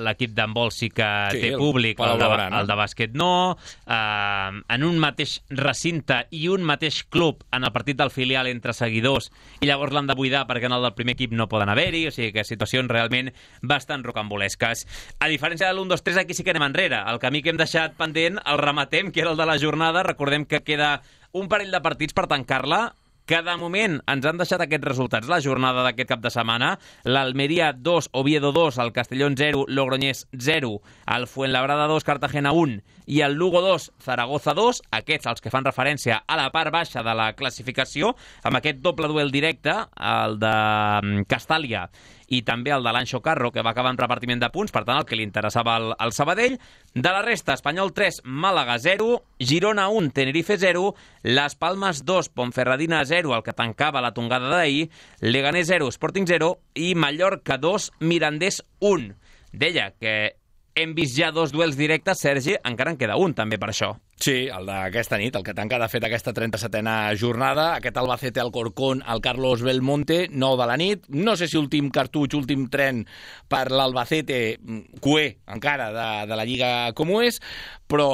l'equip d'handbol sí que sí, té públic, el, el, de, el de bàsquet no, eh, en un mateix recinte i un mateix club en el partit del filial entre seguidors i llavors l'han de buidar perquè en el del primer equip no poden haver-hi, o sigui que situacions realment bastant rocambolesques. A diferència de l'u dos tres, aquí sí que anem enrere. El camí que hem deixat pendent el rematem, que era el de la jornada. Recordem que queda un parell de partits per tancar-la, que de moment ens han deixat aquests resultats la jornada d'aquest cap de setmana. L'Almeria dos, Oviedo dos, el Castellón zero, Logroñés zero, el Fuenlabrada dos, Cartagena un i el Lugo dos, Zaragoza dos, aquests els que fan referència a la part baixa de la classificació, amb aquest doble duel directe, el de Castàlia i també el de l'Anxo Carro, que va acabar en repartiment de punts, per tant, el que li interessava al, al Sabadell. De la resta, Espanyol tres, Màlaga zero, Girona un, Tenerife zero, Las Palmas dos, Ponferradina zero, el que tancava la tongada d'ahir, Leganés zero, Sporting zero i Mallorca dos, Mirandés un. Deia que hem vist ja dos duels directes, Sergi, encara en queda un també per això. Sí, el d'aquesta nit, el que tanca de fet aquesta trenta-setena jornada, aquest Albacete Alcorcón al Carlos Belmonte, nou de la nit. No sé si últim cartutx, últim tren per l'Albacete, cué encara de, de la Lliga com ho és, però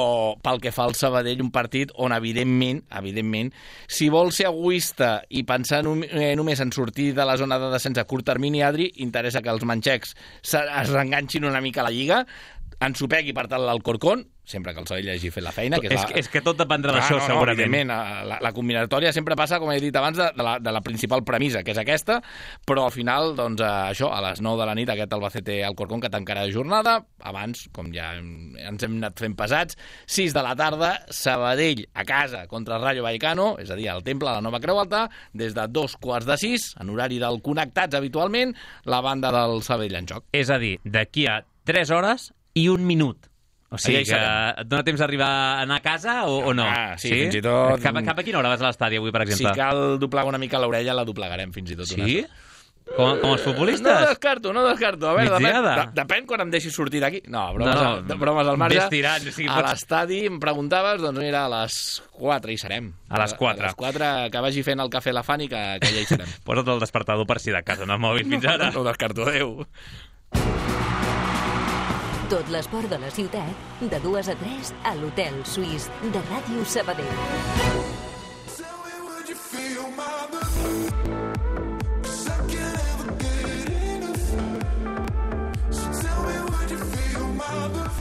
pel que fa al Sabadell, un partit on evidentment, evidentment, si vol ser egoista i pensar eh, només en sortir de la zona de descens a curt termini, Adri, interessa que els manxecs es reenganxin una mica a la Lliga, ensopegui per tant l'Alcorcón, sempre que el Sabadell hagi fet la feina. Que és, és, la... que, és que tot dependrà ah, d'això, no, no, segurament. La, la combinatòria sempre passa, com he dit abans, de, de, la, de la principal premissa, que és aquesta, però al final, doncs, això, a les nou de la nit, aquest Albacete Alcorcón que tancarà de jornada. Abans, com ja ens hem anat fent pesats, sis de la tarda, Sabadell a casa contra el Rayo Vallecano, és a dir, al Temple, a la Nova Creu Alta, des de dos quarts de sis, en horari del Connectats habitualment, la banda del Sabadell en joc. És a dir, d'aquí a tres hores i un minut. O sigui que et dona temps d'arribar a anar a casa o, o no? Ah, sí, sí, fins i tot... Cap, cap a quina hora vas a l'estadi avui, per exemple? Si cal doblegar una mica l'orella, la doblegarem fins i tot. Sí? Com, com els futbolistes? No descarto, no descarto. A veure, depèn, de, depèn quan em deixis sortir d'aquí. No, bromes, no, no, al, bromes al marge. Tirant, o sigui, a l'estadi em preguntaves, doncs mira, a les quatre hi serem. A les quatre. A les quatre, que vagi fent el cafè la Fanny, que, que ja hi serem. Posa't el despertador per si de casa no mòbil fins ara. No, no descarto, adéu. Tot l'esport de la ciutat, de dues a tres, a l'Hotel Suís de Ràdio Sabadell. Tell me, would you feel my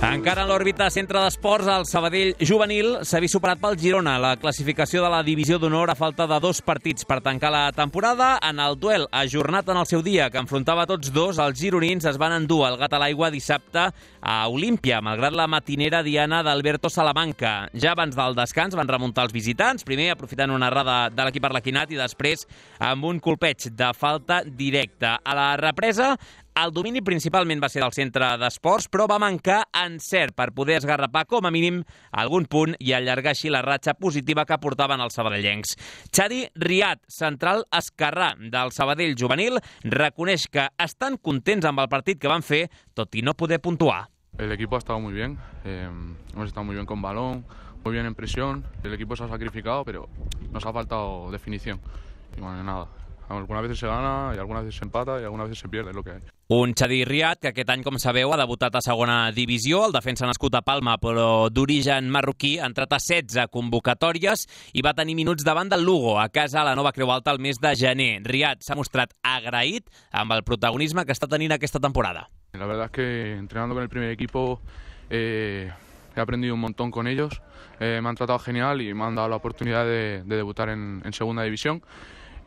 Encara en l'òrbita centre d'esports, el Sabadell juvenil s'ha vist superat pel Girona. La classificació de la divisió d'honor a falta de dos partits per tancar la temporada. En el duel ajornat en el seu dia, que enfrontava tots dos, els gironins es van endur el gat a l'aigua dissabte a Olímpia, malgrat la matinera diana d'Alberto Salamanca. Ja abans del descans van remuntar els visitants, primer aprofitant una errada de l'equip arlequinat i després amb un colpeig de falta directa. A la represa, el domini principalment va ser del centre d'esports, però va mancar encert per poder esgarrapar com a mínim algun punt i allargar així la ratxa positiva que portaven els sabadellencs. Chadi Riad, central esquerrà del Sabadell juvenil, reconeix que estan contents amb el partit que van fer, tot i no poder puntuar. El equipo ha estado muy bien, eh, hemos estado muy bien con balón, muy bien en presión, el equipo se ha sacrificado, pero nos ha faltado definición. Y bueno, nada. Algunas veces se gana i algunes veces se empata i algunes veces se pierde, és el que hay. Un Chadi Riad que aquest any, com sabeu, ha debutat a segona divisió. El defensa nascut a Palma, però d'origen marroquí, ha entrat a setze convocatòries i va tenir minuts davant del Lugo, a casa a la Nova Creu Alta el mes de gener. Riad s'ha mostrat agraït amb el protagonisme que està tenint aquesta temporada. La verdad es que entrenando con el primer equipo eh, he aprendido un montón con ellos. Eh, me han tratado genial y me han dado la oportunidad de, de debutar en, en segunda división.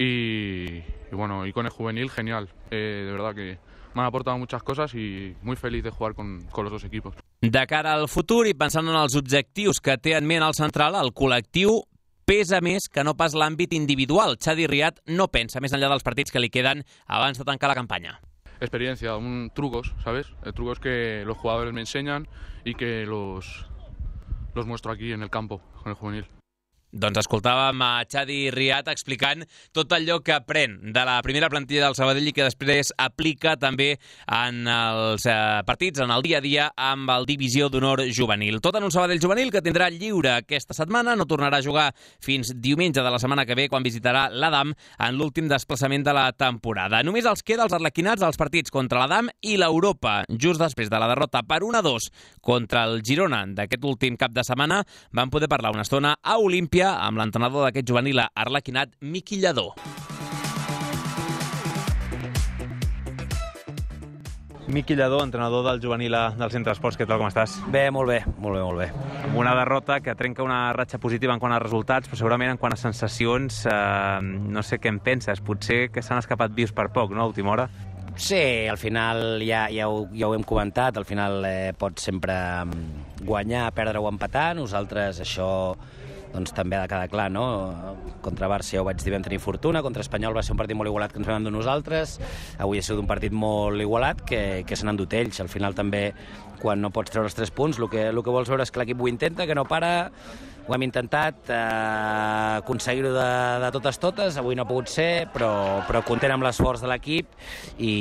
Y, y bueno, y con el juvenil, genial. Eh, de verdad que me han aportado muchas cosas y muy feliz de jugar con, con los dos equipos. De cara al futur i pensant en els objectius que té en ment el central, el col·lectiu pesa més que no pas l'àmbit individual. Chadi Riad no pensa més enllà dels partits que li queden abans de tancar la campanya. Experiencia, un, trucos, ¿sabes? El trucos que los jugadores me enseñan y que los, los muestro aquí en el campo, con el juvenil. Doncs escoltàvem a Chadi Riad explicant tot allò que aprèn de la primera plantilla del Sabadell i que després aplica també en els eh, partits, en el dia a dia amb el Divisió d'Honor juvenil. Tot en un Sabadell juvenil que tindrà lliure aquesta setmana, no tornarà a jugar fins diumenge de la setmana que ve quan visitarà l'Adam en l'últim desplaçament de la temporada. Només els queda els arlequinats als partits contra l'Adam i l'Europa. Just després de la derrota per un a dos contra el Girona d'aquest últim cap de setmana van poder parlar una estona a Olímpia amb l'entrenador d'aquest juvenil arlequinat, Miqui Lladó. Miqui Lladó, entrenador del juvenil del Centre Esports, què tal, com estàs? Bé, molt bé, molt bé, molt bé. Amb una derrota que trenca una ratxa positiva en quant a resultats, però segurament en quant a sensacions, eh, no sé què en penses, potser que s'han escapat vius per poc, no, a última hora? Sí, al final ja, ja, ho, ja ho hem comentat, al final eh, pots sempre guanyar, perdre o empatar, nosaltres això doncs també ha de quedar clar, no? Contra Barça ja ho vaig dir, vam tenir fortuna, contra Espanyol va ser un partit molt igualat que ens vam endur nosaltres, avui ha sigut un partit molt igualat que, que se n'han endut ells. Al final també, quan no pots treure els tres punts, el que, el que vols veure és que l'equip ho intenta, que no para, ho hem intentat eh, aconseguir-ho de, de totes totes, avui no ha pogut ser, però, però content amb l'esforç de l'equip i,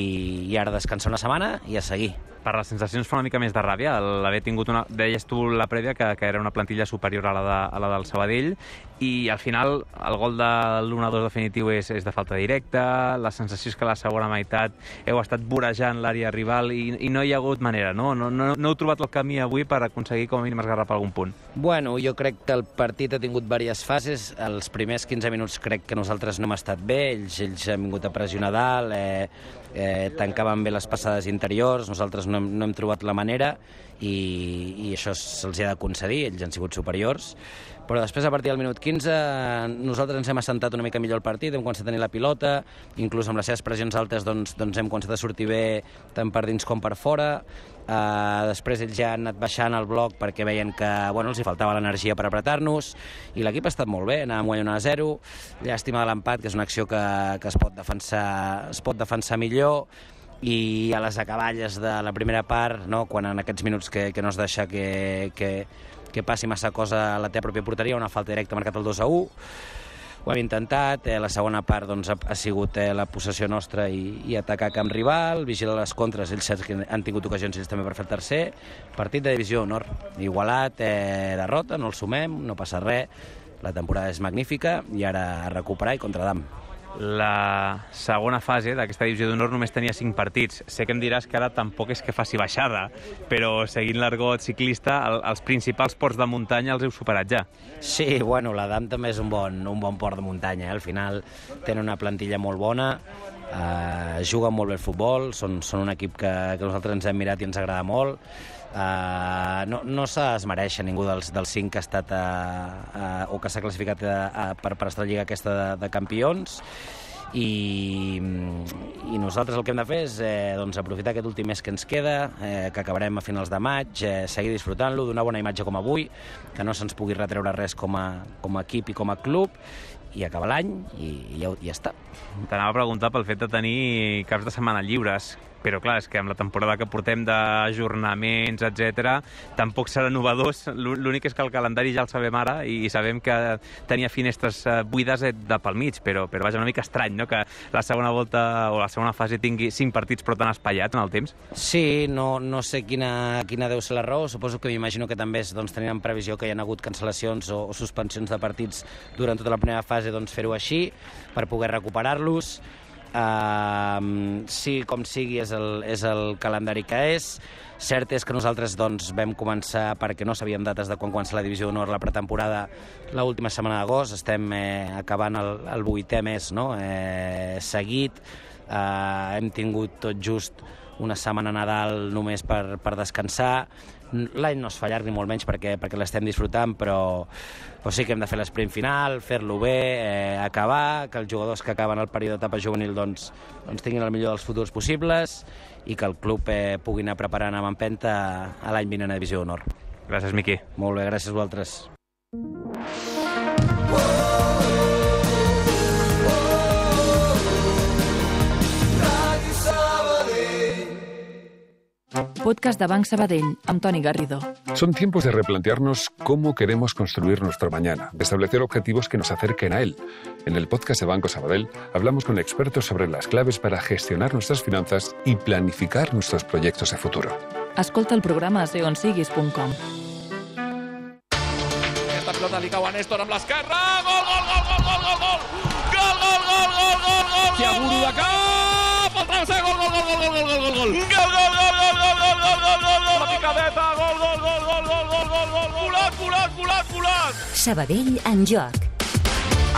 i ara descansar una setmana i a seguir. Per les sensacions fa una mica més de ràbia l'haver tingut una... Deies tu la prèvia que, que era una plantilla superior a la, de, a la del Sabadell i al final el gol de l'u a dos definitiu és, és de falta directa, la sensació és que a la segona meitat heu estat vorejant l'àrea rival i, i no hi ha hagut manera, no? No, no? no heu trobat el camí avui per aconseguir com a mínim esgarrapar algun punt? Bueno, jo crec que el partit ha tingut diverses fases. Els primers quinze minuts crec que nosaltres no hem estat bé, ells, ells han vingut a pressionar dalt, eh, eh, tancaven bé les passades interiors, nosaltres no hem, no hem trobat la manera i, i això se'ls ha de concedir, ells han sigut superiors. Però després, a partir del minut quinze, nosaltres ens hem assentat una mica millor el partit, hem començat a tenir la pilota, inclús amb les seves pressions altes doncs, doncs hem començat a sortir bé tant per dins com per fora. Uh, després ells ja han anat baixant el bloc perquè veien que bueno, els hi faltava l'energia per apretar-nos i l'equip ha estat molt bé, anàvem guanyant a zero. Llàstima de l'empat, que és una acció que, que es pot defensar, es pot defensar millor, i a les acaballes de la primera part, no, quan en aquests minuts que, que no es deixa que, que, que passi massa cosa a la teva pròpia porteria, una falta directa marcat el dos a u. Ho hem intentat, eh, la segona part doncs, ha, ha sigut eh, la possessió nostra i, i atacar camp rival, vigilar les contres, ells que han tingut ocasions ells també per fer el tercer. Partit de divisió d'honor, igualat, eh, derrota, no el sumem, no passa res, la temporada és magnífica i ara a recuperar i contra Adam. La segona fase d'aquesta divisió d'honor només tenia cinc partits. Sé que em diràs que ara tampoc és que faci baixada, però seguint l'argot ciclista, el, els principals ports de muntanya els heu superat ja. Sí, bueno, l'Adam també és un bon, un bon port de muntanya. Eh? Al final tenen una plantilla molt bona, Uh, juguen molt bé el futbol, són, són un equip que, que nosaltres ens hem mirat i ens agrada molt. Uh, no no s'esmereix a ningú dels, dels cinc que ha estat a, a, o que s'ha classificat a, a, per, per estar a la Lliga aquesta de, de campions. I, i nosaltres el que hem de fer és eh, doncs aprofitar aquest últim mes que ens queda, eh, que acabarem a finals de maig, eh, seguir disfrutant-lo, donar bona imatge com avui, que no se'ns pugui retreure res com a, com a equip i com a club, i acabar l'any i, i ja, ja està. T'anava a preguntar pel fet de tenir caps de setmana lliures, però clar, és que amb la temporada que portem d'ajornaments, etcètera, tampoc serà novedós. L'únic és que el calendari ja el sabem ara i sabem que tenia finestres buides de pel mig, però, però vaja, una mica estrany, no?, que la segona volta o la segona fase tingui cinc partits però tan espaiats en el temps. Sí, no, no sé quina, quina deu ser la raó. Suposo que m'imagino que també és, doncs, tenint en previsió que hi ha hagut cancel·lacions o, o suspensions de partits durant tota la primera fase, doncs fer-ho així per poder recuperar-los. Uh, sí, com sigui, és el, és el calendari que és. Cert és que nosaltres doncs, vam començar, perquè no sabíem dates de quan comença la Divisió d'Honor, la pretemporada, l'última setmana d'agost. Estem eh, acabant el, el vuitè mes, no?, eh, seguit. Uh, hem tingut tot just una setmana Nadal només per, per descansar. L'any no es fa llarg ni molt menys perquè, perquè l'estem disfrutant, però, però sí que hem de fer l'esprint final, fer-lo bé, eh, acabar, que els jugadors que acaben el període d'etapa juvenil doncs, doncs tinguin el millor dels futurs possibles i que el club eh, pugui anar preparant amb empenta a l'any vinent a Divisió d'Honor. Gràcies, Miqui. Molt bé, gràcies a vosaltres. Podcast de Banc Sabadell, amb Toni Garrido. Son tiempos de replantearnos cómo queremos construir nuestro mañana, de establecer objetivos que nos acerquen a él. En el podcast de Banco Sabadell hablamos con expertos sobre las claves para gestionar nuestras finanzas y planificar nuestros proyectos de futuro. Escolta el programa a seonsiguis punt com. Esta pelota li cau a Néstor amb l'esquerra. Gol, gol, gol, gol, gol, gol, gol! Gol, gol, gol, gol, gol, gol! Chiaburu de cap! El travesser, gol, gol, gol, gol, gol, gol, gol, gol! Gol, gol, gol, gol, gol, gol, gol, gol, gol, gol! La picadeta, gol, gol, gol, gol, gol, gol, gol, gol! Volat, volat, volat, volat! Sabadell en joc.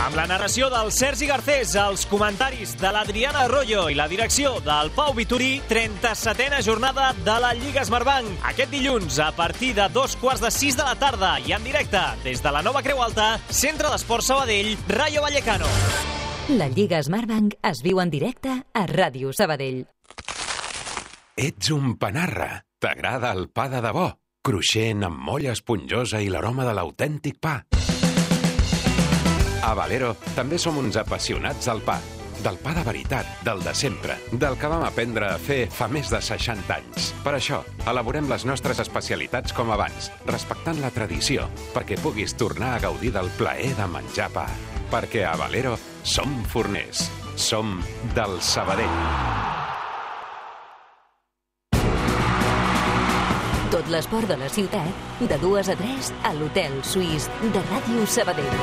Amb la narració del Sergi Garcés, els comentaris de l'Adriana Arroyo i la direcció del Pau Vitorí, trenta-setena jornada de la Lliga Smartbank. Aquest dilluns, a partir de dos quarts de sis de la tarda i en directe des de la nova Creu Alta, Centre d'Esports Sabadell, Rayo Vallecano. La Lliga Smartbank es viu en directe a Ràdio Sabadell. Ets un panarra. T'agrada el pa de debò? Cruixent, amb molla esponjosa i l'aroma de l'autèntic pa. A Valero també som uns apassionats del pa. Del pa de veritat, del de sempre, del que vam aprendre a fer fa més de seixanta anys. Per això, elaborem les nostres especialitats com abans, respectant la tradició, perquè puguis tornar a gaudir del plaer de menjar pa. Perquè a Valero som forners. Som del Sabadell. Tot l'esport de la ciutat, de dues a tres, a l'Hotel Suís de Ràdio Sabadell.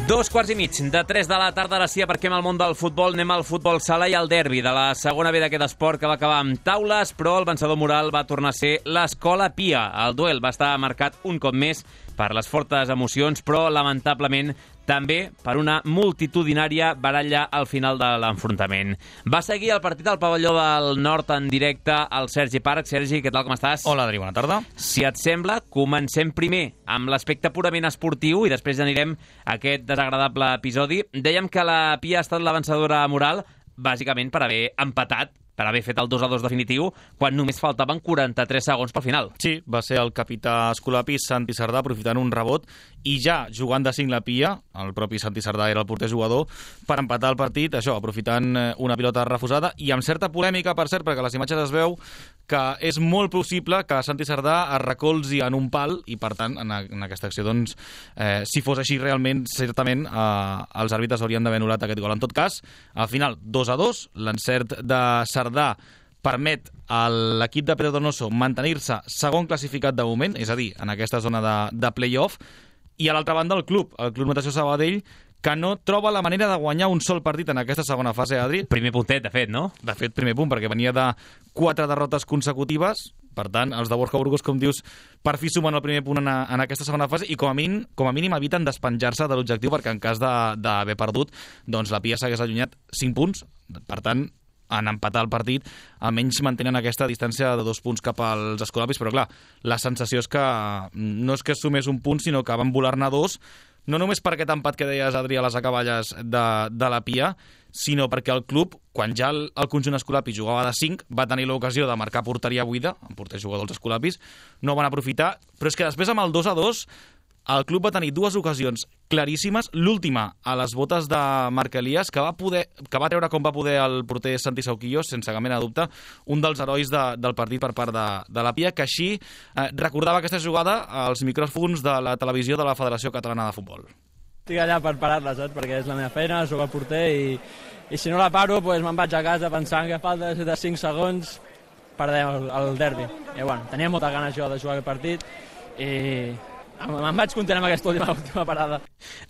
Dos quarts i mig de tres de la tarda, ara sí, perquè amb el món del futbol anem al futbol sala i al derbi de la segona B d'aquest esport, que va acabar amb taules, però el vencedor moral va tornar a ser l'Escola Pia. El duel va estar marcat un cop més per les fortes emocions, però lamentablement també per una multitudinària baralla al final de l'enfrontament. Va seguir el partit al pavelló del Nord en directe al Sergi Parc. Sergi, què tal, com estàs? Hola, Adri, bona tarda. Si et sembla, comencem primer amb l'aspecte purament esportiu i després anirem a aquest desagradable episodi. Dèiem que la Pia ha estat la vencedora moral, bàsicament per haver empatat, per haver fet el dos a dos definitiu, quan només faltaven quaranta-tres segons pel final. Sí, va ser el capità escolapí Santi Sardà aprofitant un rebot i ja jugant de cinc la Pia, el propi Santi Sardà era el porter jugador, per empatar el partit, això, aprofitant una pilota refusada i amb certa polèmica, per cert, perquè a les imatges es veu que és molt possible que Santi Sardà es recolzi en un pal i, per tant, en, en aquesta acció, doncs, eh, si fos així realment, certament, eh, els àrbitres haurien d'haver anul·lat aquest gol. En tot cas, al final, dos a dos, l'encert de Sardà permet a l'equip de Pere Donoso mantenir-se segon classificat de moment, és a dir, en aquesta zona de, de play-off, i a l'altra banda el club, el Club Natació Sabadell, que no troba la manera de guanyar un sol partit en aquesta segona fase, Adri. Primer puntet, de fet, no? De fet, primer punt, perquè venia de quatre derrotes consecutives, Per tant, els de Borja Burgos, com dius, per fi sumen el primer punt en, en aquesta segona fase i com a mínim, com a mínim eviten despenjar-se de l'objectiu, perquè en cas d'haver perdut, doncs la Pia s'hagués allunyat cinc punts. Per tant, en empatar el partit, almenys mantenen aquesta distància de dos punts cap als escolapis, però clar, la sensació és que no és que es sumés un punt, sinó que van volar-ne dos, no només per aquest empat que deies, Adri, a les acaballes de, de la Pia, sinó perquè el club, quan ja el, el conjunt escolapi jugava de cinc, va tenir l'ocasió de marcar porteria buida, amb porters jugadors escolapis, no van aprofitar, però és que després amb el dos a dos el club va tenir dues ocasions claríssimes, l'última a les botes de Marc Elias, que va, poder, que va treure com va poder el porter Santi Sauquillo, sense cap mena de dubte, un dels herois de, del partit per part de, de la Pia, que així eh, recordava aquesta jugada als micròfons de la televisió de la Federació Catalana de Futbol. Estic allà per parar-la, saps? Perquè és la meva feina, jugar porter, i, i si no la paro, doncs me'n vaig a casa pensant que falta de cinc segons perdem el, el derbi. I bueno, tenia moltes ganes jo de jugar aquest partit i me'n vaig content amb aquesta última, última parada.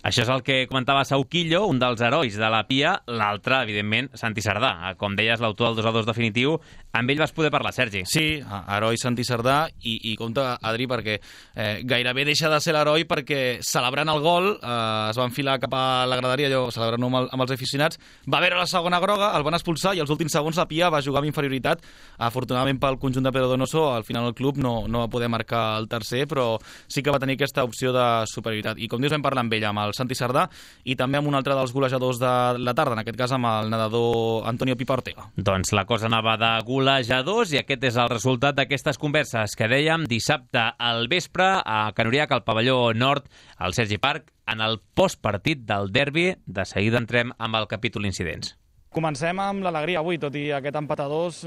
Això és el que comentava Sauquillo, un dels herois de la Pia, l'altre, evidentment, Santi Sardà. Com deies, l'autor del dos a dos definitiu, amb ell vas poder parlar, Sergi. Sí, heroi Santi Sardà, i, i compte, Adri, perquè eh, gairebé deixa de ser l'heroi perquè celebrant el gol eh, es va enfilar cap a la graderia, allò, celebrant-ho amb, el, amb els aficionats, va veure la segona groga, el van expulsar i els últims segons la Pia va jugar amb inferioritat. Afortunadament pel conjunt de Pedro Donoso, al final el club no, no va poder marcar el tercer, però sí que va tenir aquesta opció de superioritat. I com dius, vam parlar amb ell, amb el Santi Sardà, i també amb un altre dels golejadors de la tarda, en aquest cas amb el nedador Antonio Pipa Ortega. Doncs la cosa anava de golejadors i aquest és el resultat d'aquestes converses que dèiem dissabte al vespre a Can Uriac, al pavelló nord, al Sergi Parc, en el postpartit del derbi. De seguida entrem amb el capítol incidents. Comencem amb l'alegria avui, tot i aquest empat a dos,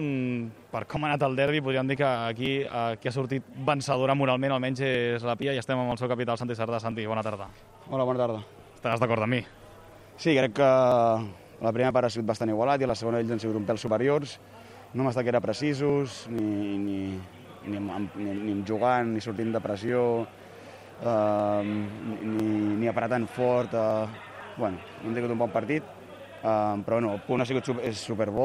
per com ha anat el derbi, podríem dir que aquí qui ha sortit vencedora moralment, almenys és la Pia, i estem amb el seu capità, el Santi Sardà. Santi, bona tarda. Hola, bona tarda. Estaràs d'acord amb mi? Sí, crec que la primera part ha sigut bastant igualat i la segona ells han sigut un pèl superiors. No hem estat gaire precisos, ni, ni, ni, ni, ni jugant, ni sortint de pressió, eh, ni, ni apretant fort. Eh, bueno, hem tingut un bon partit. Uh, però bueno, el punt ha sigut super, és superbo.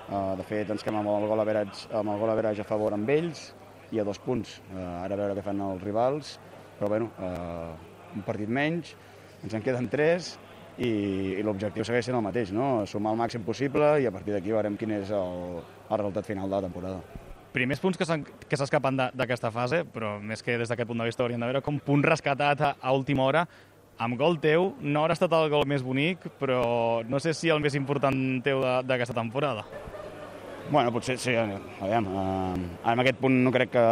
Uh, de fet, ens quedem amb el gol average, amb el gol average a favor amb ells i a dos punts. Uh, ara a veure què fan els rivals, però bueno, uh, un partit menys, ens en queden tres i, i l'objectiu segueix sent el mateix, no? Sumar el màxim possible i a partir d'aquí veurem quin és el, el resultat final de la temporada. Primers punts que s'escapen d'aquesta fase, però més que des d'aquest punt de vista hauríem de veure com punt rescatat a, a última hora. Amb gol teu, no haurà estat el gol més bonic, però no sé si el més important teu d'aquesta temporada. Bueno, potser sí, aviam. Uh, en aquest punt no crec que,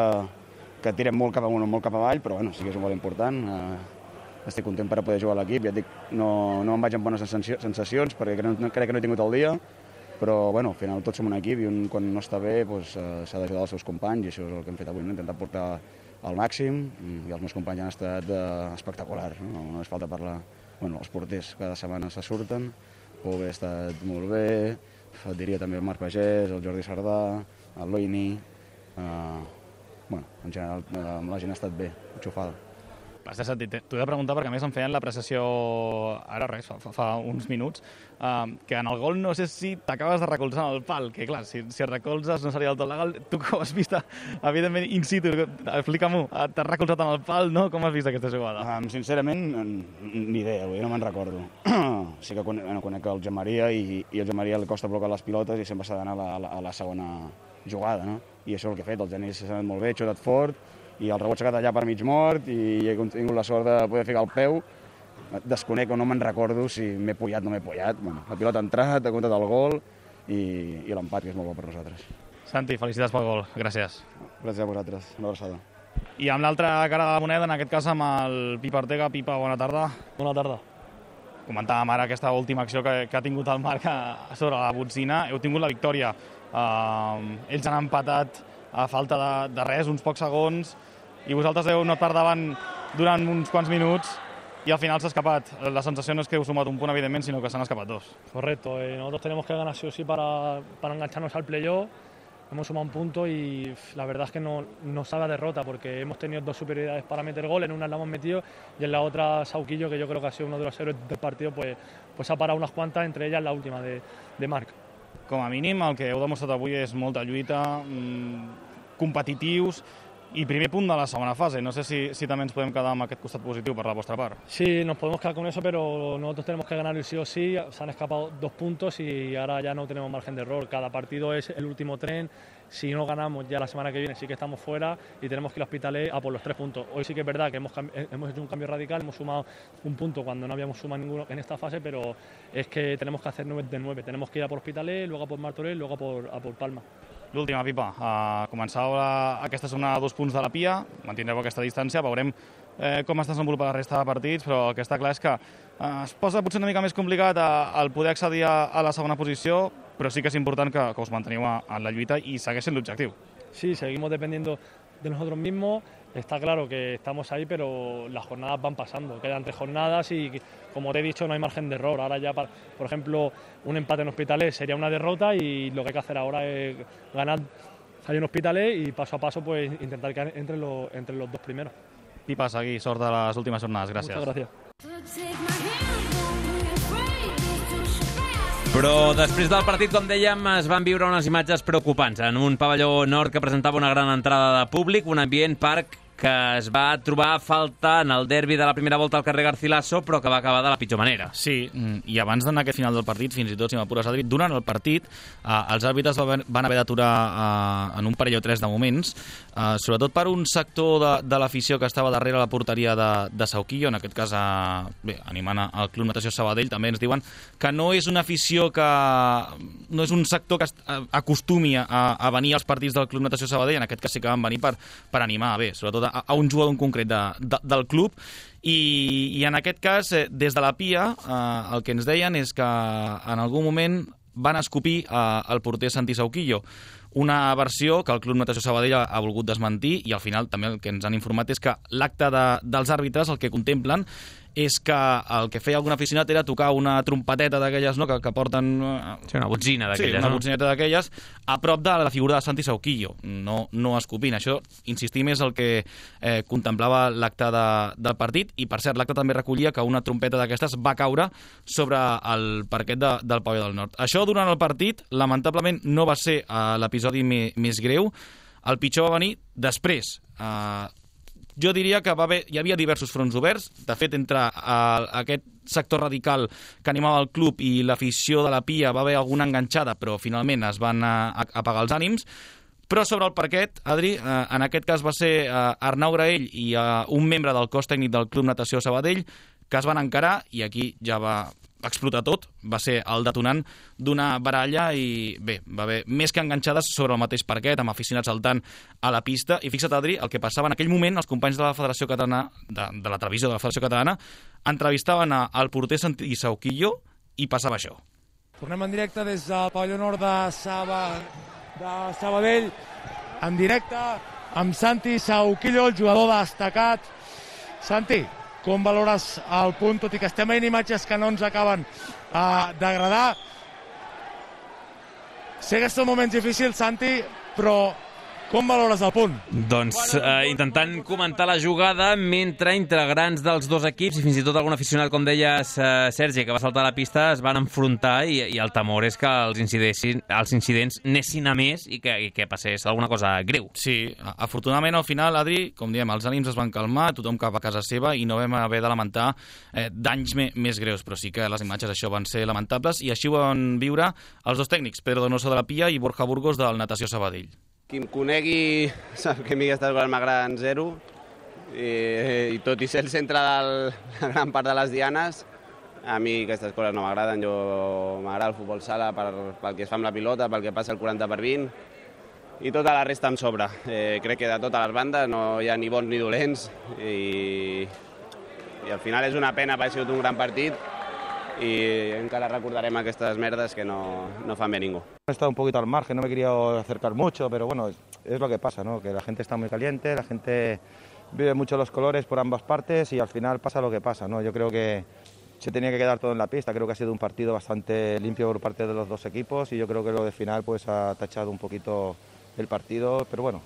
que tirem molt cap amunt o molt cap avall, però bueno, sí que és un gol important. Uh, estic content per poder jugar a l'equip, ja et dic, no, no em vaig amb bones sensacions, perquè crec, crec que no he tingut el dia, però bueno, al final tots som un equip i un, quan no està bé doncs, uh, s'ha d'ajudar els seus companys, i això és el que hem fet avui, no? Intentar portar al màxim, i els meus companys han estat uh, espectaculars, no? No és falta parlar. Bueno, els porters cada setmana se surten, Pove ha estat molt bé, et diria també el Marc Pagès, el Jordi Sardà, el Loini, uh, bueno, en general uh, la gent ha estat bé, enxufada. Has de sentir, t'ho he de preguntar perquè a més em feien l'apreciació ara res, fa, fa uns minuts, uh, que en el gol no sé si t'acabes de recolzar en el pal, que clar, si, si et recolzes no seria del tot legal. Tu com has vist, evidentment, in situ, explica-m'ho, t'has recolzat en el pal, no? Com has vist aquesta jugada? Um, sincerament, ni idea, no me'n recordo. Sí que conec, bueno, conec el Joan Maria i, i el Joan Maria li costa blocar les pilotes i sempre s'ha d'anar a, la, a la segona jugada, no? I això és el que he fet, el Genís s'ha anat molt bé, ha xutat fort, i el rebot s'ha quedat allà per mig mort i he tingut la sort de poder ficar el peu. Desconec o no me'n recordo si m'he pullat o no m'he pullat. Bueno, la pilota ha entrat, ha comptat el gol i, i l'empat, que és molt bo per nosaltres. Santi, felicitats pel gol. Gràcies. Gràcies a vosaltres. Una abraçada. I amb l'altra cara de la moneda, en aquest cas amb el Pipa Ortega. Pipa, bona tarda. Bona tarda. Comentàvem ara aquesta última acció que, que ha tingut el Marc a sobre la botzina. Heu tingut la victòria. Uh, ells han empatat a falta de, de res, uns pocs segons, i vosaltres heu anat per davant durant uns quants minuts y al final s'ha escapat. La sensació no és que heu sumat un punt, evidentment, sino que s'han escapat dos. Correcto, eh, nosotros tenemos que ganar sí o sí para, para engancharnos al playoff. Hemos sumado un punto y la verdad es que no, no sabe a derrota porque hemos tenido dos superioridades para meter gol, en una la hemos metido y en la otra Sauquillo, que yo creo que ha sido uno de los héroes del partido, pues, pues ha parado unas cuantas, entre ellas la última de, de Marc. Com a mínim, el que heu demostrat avui és molta lluita, mmm, competitius, i primer punt de la segona fase. No sé si, si també ens podem quedar amb aquest costat positiu per la vostra part. Sí, nos podemos quedar con eso, pero nosotros tenemos que ganar el sí o sí. Se han escapado dos puntos y ahora ya no tenemos margen de error. Cada partido es el último tren. Si no ganamos ya la semana que viene sí que estamos fuera y tenemos que ir a Hospitalet a por los tres puntos. Hoy sí que es verdad que hemos, hemos hecho un cambio radical, hemos sumado un punto cuando no habíamos sumado ninguno en esta fase, pero es que tenemos que hacer nueve de nueve. Tenemos que ir a por Hospitalet, luego a por Martorell, luego a por, a por Palma. L'última, Pipa. Uh, començau la, aquesta segona a dos punts de la Pia, mantindreu aquesta distància, veurem eh, com es desenvolupa la resta de partits, però el que està clar és que eh, es posa potser una mica més complicat el poder accedir a, a la segona posició, però sí que és important que, que us manteniu en la lluita i segueix sent l'objectiu. Sí, seguimos dependiendo de nosotros mismos. Está claro que estamos ahí, pero las jornadas van pasando. Quedan tres jornadas y, como te he dicho, no hay margen de error. Ahora ya, por ejemplo, un empate en Hospitalet sería una derrota y lo que hay que hacer ahora es ganar ahí en Hospitalet y paso a paso pues intentar quedar entre los, entre los dos primeros. Pipa, seguir, sort de les últimes jornades. Gràcies. Muchas gracias. Però després del partit, com dèiem, es van viure unes imatges preocupants en un pavelló nord que presentava una gran entrada de públic, un ambient parc que es va trobar a falta en el derbi de la primera volta al carrer Garcilaso, però que va acabar de la pitjor manera. Sí, i abans d'anar a aquest final del partit, fins i tot, si m'apures, Adri, durant el partit, eh, els àrbitres van haver d'aturar eh, en un parell o tres de moments, eh, sobretot per un sector de, de l'afició que estava darrere la porteria de, de Sauquillo, en aquest cas, eh, bé, animant al Club Natació Sabadell, també ens diuen que no és una afició que... no és un sector que acostumi a, a venir als partits del Club Natació Sabadell, en aquest cas sí que van venir per, per animar, bé, sobretot a, a un jugador en concret de, de, del club, i, i en aquest cas, eh, des de la Pia, eh, el que ens deien és que en algun moment van escopir eh, el porter Santi Sauquillo, una versió que el Club Natació Sabadell ha, ha volgut desmentir, i al final també el que ens han informat és que l'acte de, dels àrbitres el que contemplen és que el que feia algun aficionat era tocar una trompeteta d'aquelles, no?, que, que porten... Sí, una botzina d'aquelles, sí, una no? botzineta d'aquelles, a prop de la figura de Santi Sauquillo, no, no escopint. Això, insistim, és el que eh, contemplava l'acte de, del partit, i per cert, l'acte també recollia que una trompeta d'aquestes va caure sobre el parquet de, del pavelló del Nord. Això durant el partit, lamentablement, no va ser eh, l'episodi més, més greu. El pitjor va venir després. Eh, Jo diria que va haver, hi havia diversos fronts oberts. De fet, entre uh, aquest sector radical que animava el club i l'afició de la Pia va haver alguna enganxada, però finalment es van uh, apagar els ànims. Però sobre el parquet, Adri, uh, en aquest cas va ser uh, Arnau Graell i uh, un membre del cos tècnic del Club Natació Sabadell que es van encarar, i aquí ja va explotar tot, va ser el detonant d'una baralla, i bé, va haver més que enganxades sobre el mateix parquet, amb aficionats saltant a la pista, i fixa't, Adri, el que passava en aquell moment, els companys de la Federació Catalana, de, de la televisió de la Federació Catalana, entrevistaven al porter Santi Sauquillo i passava això. Tornem en directe des del pavelló nord de, Saba, de Sabadell, en directe amb Santi Sauquillo, el jugador destacat. Santi, com valores el punt, tot i que estem veient imatges que no ens acaben uh, d'agradar? Sé que són moments difícils, Santi, però com valores el punt? Doncs eh, intentant comentar la jugada mentre integrants dels dos equips i fins i tot algun aficionat, com deies, eh, Sergi, que va saltar a la pista, es van enfrontar, i, i el temor és que els incidents, els incidents anessin a més i que, i que passés alguna cosa greu. Sí, afortunadament al final, Adri, com diem, els ànims es van calmar, tothom cap a casa seva, i no vam haver de lamentar eh, danys me, més greus, però sí que les imatges això van ser lamentables, i així ho van viure els dos tècnics, Pedro Donoso de la Pia i Borja Burgos del Natació Sabadell. Qui em conegui sap que a mi aquestes coses m'agraden zero, i, i tot i ser el centre de la gran part de les dianes, a mi aquestes coses no m'agraden. Jo m'agrada el futbol sala per, pel que es fa amb la pilota, pel que passa el quaranta per vint, i tota la resta em sobra. Eh, crec que de totes les bandes no hi ha ni bons ni dolents, i, i al final és una pena, perquè ha sigut un gran partit, y encara recordarem aquestes merdes que no, no fan bé ningú. He estado un poquito al margen, no me he querido acercar mucho, pero bueno, es, es lo que pasa, ¿no? Que la gente está muy caliente, la gente vive mucho los colores por ambas partes y al final pasa lo que pasa, ¿no? Yo creo que se tenía que quedar todo en la pista, creo que ha sido un partido bastante limpio por parte de los dos equipos y yo creo que lo de final pues ha tachado un poquito el partido, pero bueno,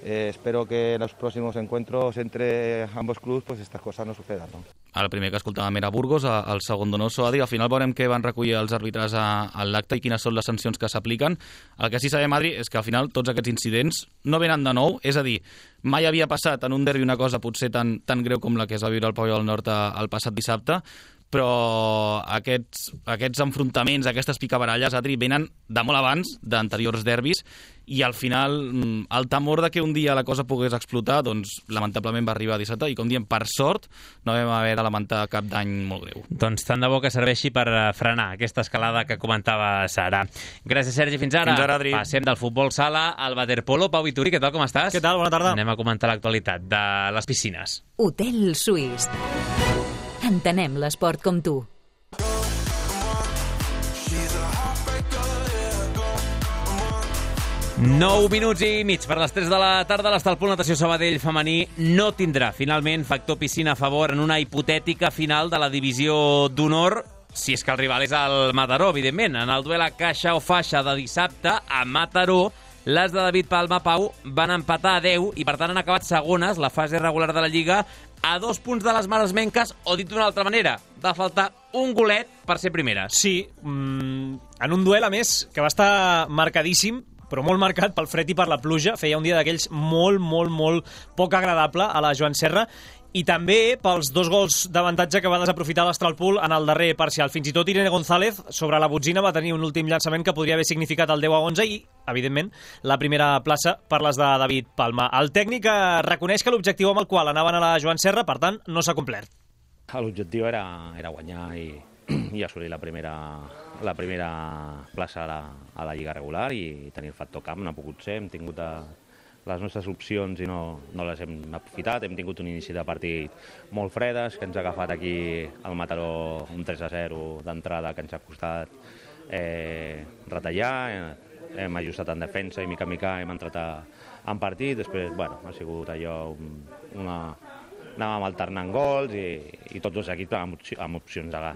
Eh, espero que en los próximos encuentros entre ambos clubes pues estas cosas no sucedan, ¿no? El primer que escoltàvem era Burgos, el segon Donoso. Adri, al final veurem què van recollir els àrbitres a, a l'acte i quines són les sancions que s'apliquen. El que sí sabem, Adri, és que al final tots aquests incidents no venen de nou, és a dir, mai havia passat en un derbi una cosa potser tan, tan greu com la que es va viure al Pavelló del Nord el passat dissabte, però aquests, aquests enfrontaments, aquestes picabaralles, Adri, venen de molt abans d'anteriors derbis i al final el temor de que un dia la cosa pogués explotar, doncs lamentablement va arribar a dissabte i com diem, per sort no vam haver de lamentar cap dany molt greu. Doncs tant de bo que serveixi per frenar aquesta escalada que comentava Sara. Gràcies, Sergi, fins ara. Fins ara, Adri. Passem del futbol sala al waterpolo. Pau Vituri, què tal, com estàs? Què tal, bona tarda. Anem a comentar l'actualitat de les piscines. Hotel Suís. Entenem l'esport com tu. nou minuts i mig per les tres de la tarda. L'Estalpol Natació Sabadell femení no tindrà finalment factor piscina a favor en una hipotètica final de la divisió d'honor, si és que el rival és el Mataró, evidentment. En el duel a caixa o faixa de dissabte a Mataró, les de David Palma, Pau, van empatar a deu i per tant han acabat segones la fase regular de la Lliga a dos punts de les maresmenques, o dit d'una altra manera, va faltar un golet per ser primeres. Sí, mmm, en un duel, a més, que va estar marcadíssim, però molt marcat pel fred i per la pluja. Feia un dia d'aquells molt, molt, molt poc agradable a la Joan Serra, i també pels dos gols d'avantatge que va desaprofitar l'Astralpool en el darrer parcial. Fins i tot Irene González, sobre la botzina, va tenir un últim llançament que podria haver significat el deu a onze i, evidentment, la primera plaça per les de David Palma. El tècnic reconeix que l'objectiu amb el qual anaven a la Joan Serra, per tant, no s'ha complert. L'objectiu era, era guanyar i, i assolir la primera, la primera plaça a la, a la Lliga regular i tenir el factor camp. No ha pogut ser, hem tingut a, les nostres opcions i no, no les hem aprofitat. Hem tingut un inici de partit molt fredes, que ens ha agafat aquí al Mataró un tres a zero d'entrada que ens ha costat eh, retallar. Hem ajustat en defensa i mica en mica hem entrat a, en partit. Després, bueno, ha sigut allò una... anàvem alternant gols i, i tots els equips amb, opci amb opcions de,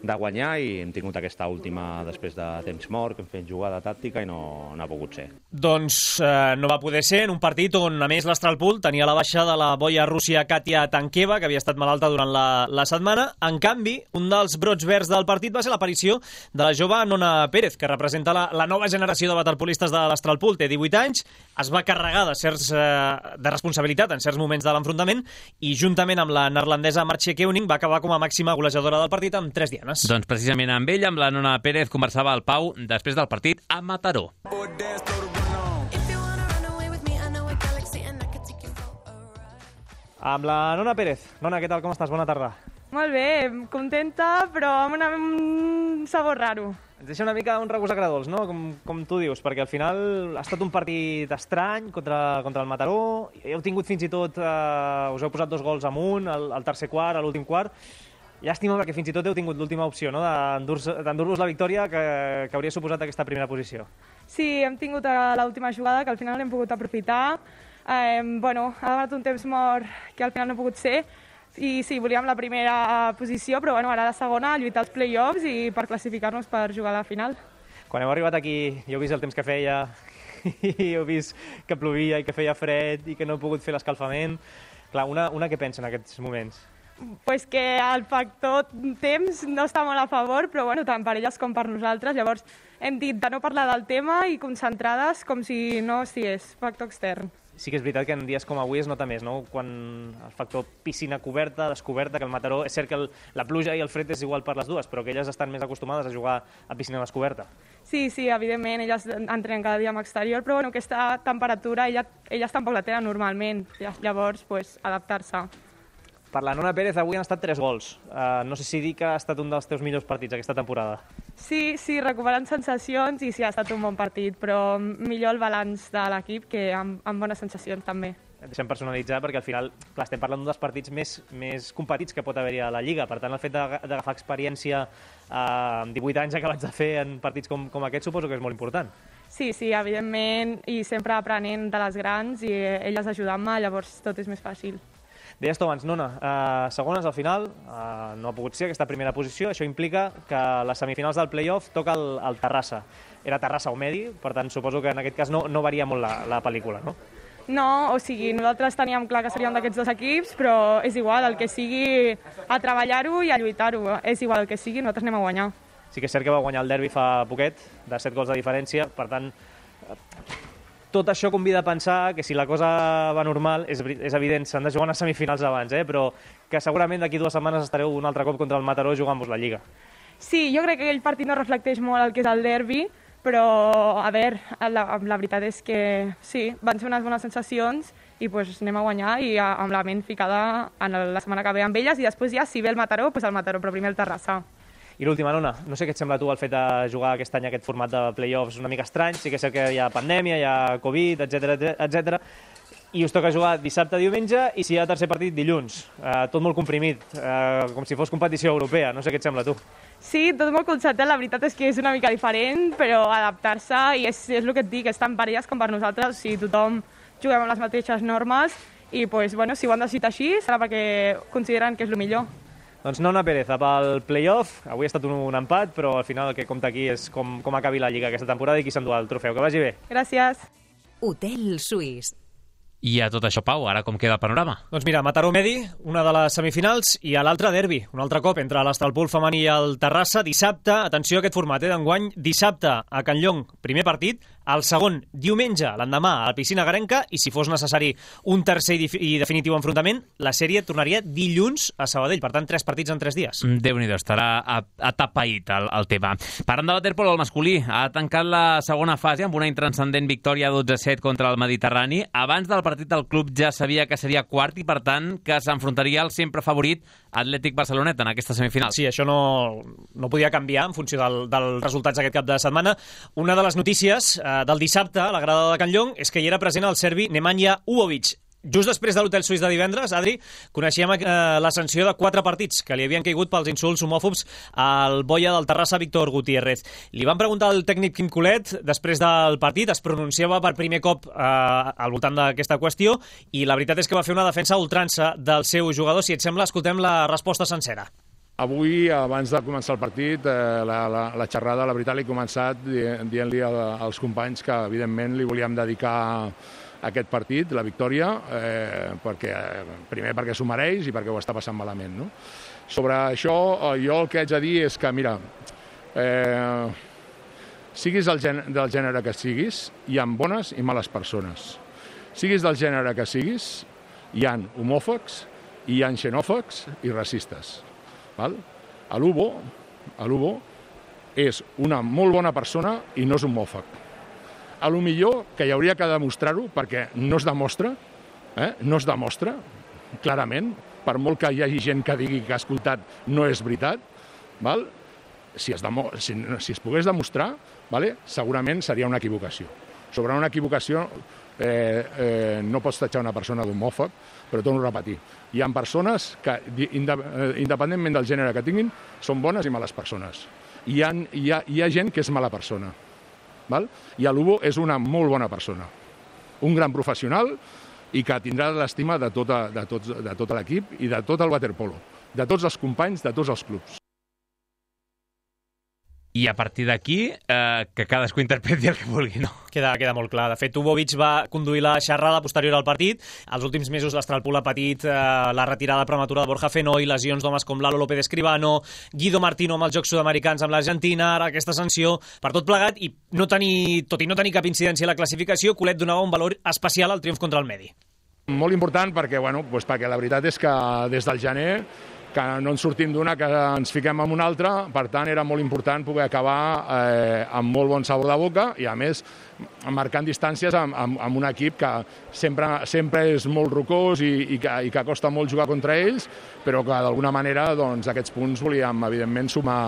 de guanyar i hem tingut aquesta última després de temps mort, que hem fet jugada tàctica i no, no ha pogut ser. Doncs eh, no va poder ser en un partit on, a més, l'Astralpool tenia la baixa de la boia Rússia Katia Tankeva, que havia estat malalta durant la, la setmana. En canvi, un dels brots verds del partit va ser l'aparició de la jove Nona Pérez, que representa la, la nova generació de waterpolistes de l'Astralpool. Té divuit anys, es va carregar de, certs, eh, de responsabilitat en certs moments de l'enfrontament i juntament amb la neerlandesa Martje Keuning va acabar com a màxima golejadora del partit amb tres dianes. Doncs precisament amb ella, amb la Nona Pérez, conversava el Pau després del partit a Mataró. Amb la Nona Pérez. Nona, què tal, com estàs? Bona tarda. Molt bé, contenta, però amb una, un sabor raro. Ens deixa una mica un regust agradolç, no? Com, com tu dius, perquè al final ha estat un partit estrany contra, contra el Mataró. Heu tingut fins i tot, eh, us heu posat dos gols amunt, al, al tercer quart, a l'últim quart. Llàstima perquè fins i tot heu tingut l'última opció, no? d'endur-vos la victòria que, que hauria suposat aquesta primera posició. Sí, hem tingut l'última jugada que al final l'hem pogut aprofitar. Eh, bueno, ha donat un temps mort que al final no ha pogut ser. I sí, volíem la primera posició, però bueno, ara la segona, lluitar els play-offs i per classificar-nos per jugar a la final. Quan heu arribat aquí i heu vist el temps que feia i heu vist que plovia i que feia fred i que no heu pogut fer l'escalfament, clar, una, una què pensa en aquests moments? Pues que el factor temps no està molt a favor, però bueno, tant per elles com per nosaltres. Llavors hem dit de no parlar del tema i concentrades com si no estigués factor extern. Sí que és veritat que en dies com avui es nota més, no? Quan el factor piscina coberta, descoberta, que el Mataró... És cert que el, la pluja i el fred és igual per les dues, però que elles estan més acostumades a jugar a piscina descoberta. Sí, sí, evidentment, elles entrenen cada dia amb exterior, però bueno, aquesta temperatura elles, elles tampoc la tenen normalment. Llavors, pues, adaptar-se. Per la Nona Pérez avui han estat tres gols. Uh, no sé si dir que ha estat un dels teus millors partits aquesta temporada. Sí, sí, recuperant sensacions i sí, ha estat un bon partit, però millor el balanç de l'equip que amb, amb bones sensacions també. Et deixem personalitzar perquè al final clar, estem parlant d'un dels partits més, més competits que pot haver-hi a la Lliga. Per tant, el fet d'agafar experiència uh, amb divuit anys acabats de fer en partits com, com aquest suposo que és molt important. Sí, sí, evidentment, i sempre aprenent de les grans i elles ajudant-me, llavors tot és més fàcil. Deies tu abans, Nona, eh, segones al final, eh, no ha pogut ser aquesta primera posició. Això implica que les semifinals del play-off toca el, el Terrassa. Era Terrassa o Medi, per tant suposo que en aquest cas no, no varia molt la, la pel·lícula, no? No, o sigui, nosaltres teníem clar que seríem d'aquests dos equips, però és igual, el que sigui, a treballar-ho i a lluitar-ho. És igual el que sigui, nosaltres anem a guanyar. Sí que és cert que va guanyar el derbi fa poquet, de set gols de diferència, per tant, tot això convida a pensar que si la cosa va normal, és, és evident, s'han de jugar unes semifinals abans, eh? Però que segurament d'aquí dues setmanes estareu un altre cop contra el Mataró jugant-vos la Lliga. Sí, jo crec que aquell partit no reflecteix molt el que és el derbi, però, a veure, la, la veritat és que sí, van ser unes bones sensacions i pues, anem a guanyar i amb la ment ficada en la setmana que ve amb elles i després ja, si ve el Mataró, pues el Mataró, però primer el Terrassa. I l'última, Nona, no sé què et sembla tu el fet de jugar aquest any aquest format de play-offs una mica estrany, sí que és cert que hi ha pandèmia, hi ha Covid, etcètera, etcètera, i us toca jugar dissabte, diumenge i si hi ha tercer partit dilluns, eh, tot molt comprimit, eh, com si fos competició europea, no sé què et sembla tu. Sí, tot molt concertat, la veritat és que és una mica diferent, però adaptar-se, i és, és el que et dic, és tan per elles com per nosaltres, si tothom juguem amb les mateixes normes, i pues, bueno, si ho han decidit així serà perquè consideren que és el millor. Doncs Nona Pérez, pel play-off, avui ha estat un, un empat, però al final el que compta aquí és com, com acabi la Lliga aquesta temporada i qui s'endú el trofeu. Que vagi bé. Gràcies. Hotel Suís. I a tot això, Pau, ara com queda el panorama? Doncs mira, Mataró-Medi, una de les semifinals, i a l'altre derbi, un altre cop entre l'Estralpol femení i el Terrassa, dissabte, atenció a aquest format, eh, d'enguany, dissabte a Can Llong, primer partit, el segon diumenge, l'endemà, a la piscina Garenca, i si fos necessari un tercer i, i definitiu enfrontament, la sèrie tornaria dilluns a Sabadell, per tant, tres partits en tres dies. Déu-n'hi-do, estarà atapeït el, el tema. Parlant de waterpolo, el masculí ha tancat la segona fase amb una intranscendent victòria dotze a set contra el Mediterrani. Abans del partit del club ja sabia que seria quart i, per tant, que s'enfrontaria al sempre favorit Atlètic Barcelonet en aquesta semifinal. Sí, això no, no podia canviar en funció del, dels resultats d'aquest cap de setmana. Una de les notícies eh, del dissabte a la grada de Can Llong és que hi era present el serbi Nemanja Uovic. Just després de l'Hotel Suís de divendres, Adri, coneixíem eh, la sanció de quatre partits que li havien caigut pels insults homòfobs al boia del Terrassa, Víctor Gutiérrez. Li van preguntar al tècnic Quim Colet després del partit, es pronunciava per primer cop eh, al voltant d'aquesta qüestió i la veritat és que va fer una defensa ultrança del seu jugador. Si et sembla, escoltem la resposta sencera. Avui, abans de començar el partit, eh, la, la, la xerrada, la veritat, l'he començat dient-li als companys que, evidentment, li volíem dedicar aquest partit, la victòria, eh, perquè, primer perquè s'ho mereix i perquè ho està passant malament. No? Sobre això, jo el que haig de dir és que, mira, eh, siguis del gènere, del gènere que siguis, hi ha bones i males persones. Siguis del gènere que siguis, hi ha homòfobs, hi ha xenòfobs i racistes. Val? A l'Ubo, a l'Ubo és una molt bona persona i no és homòfob. A lo millor que hi hauria que demostrar-ho, perquè no es demostra, eh? no es demostra, clarament, per molt que hi hagi gent que digui que ha escoltat no és veritat, val? Si, es demo... si, si es pogués demostrar, vale? Segurament seria una equivocació. Sobre una equivocació eh, eh, no pots tatxar una persona d'homòfob, però torno a repetir. Hi ha persones que, independentment del gènere que tinguin, són bones i males persones. Hi ha, hi ha, hi ha gent que és mala persona. Val? I a l'Ubo és una molt bona persona, un gran professional i que tindrà l'estima de, tota, de, tots, de tot l'equip i de tot el waterpolo, de tots els companys, de tots els clubs. I a partir d'aquí, eh, que cadascú interpreti el que vulgui, no? Queda, queda molt clar. De fet, Ubovic va conduir la xerrada posterior al partit. Els últims mesos l'Estralpol ha patit eh, la retirada prematura de Borja Fenoi, lesions d'homes com Lalo López Escribano, Guido Martino amb els Jocs Sud-americans amb l'Argentina, ara aquesta sanció per tot plegat i no tenir, tot i no tenir cap incidència a la classificació, Colet donava un valor especial al triomf contra el Medi. Molt important perquè, bueno, doncs perquè la veritat és que des del gener que no ens sortim d'una, que ens fiquem en una altra, per tant era molt important poder acabar eh, amb molt bon sabor de boca i a més marcant distàncies amb, amb, amb un equip que sempre, sempre és molt rocós i, i, que, i que costa molt jugar contra ells, però que d'alguna manera doncs, aquests punts volíem evidentment sumar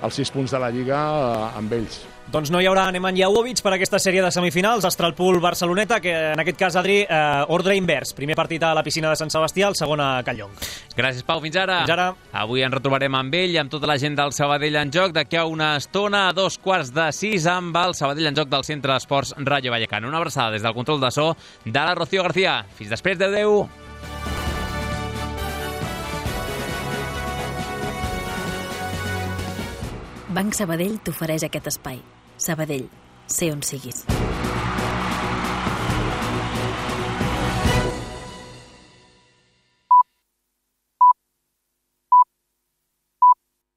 els sis punts de la Lliga eh, amb ells. Doncs no hi haurà Nemanja Uovic per aquesta sèrie de semifinals, Estralpol-Barceloneta, que en aquest cas, Adri, eh, ordre invers. Primer partit a la piscina de Sant Sebastià, el segon a Can Llong. Gràcies, Pau. Fins ara. Fins ara. Avui ens retrobarem amb ell i amb tota la gent del Sabadell en joc. D'aquí a una estona, a dos quarts de sis, amb el Sabadell en joc del Centre d'Esports Rayo Vallecano. Una abraçada des del control de so de la Rocío García. Fins després, adeu-adeu. Banc Sabadell t'ofereix aquest espai. Sabadell, sé on siguis.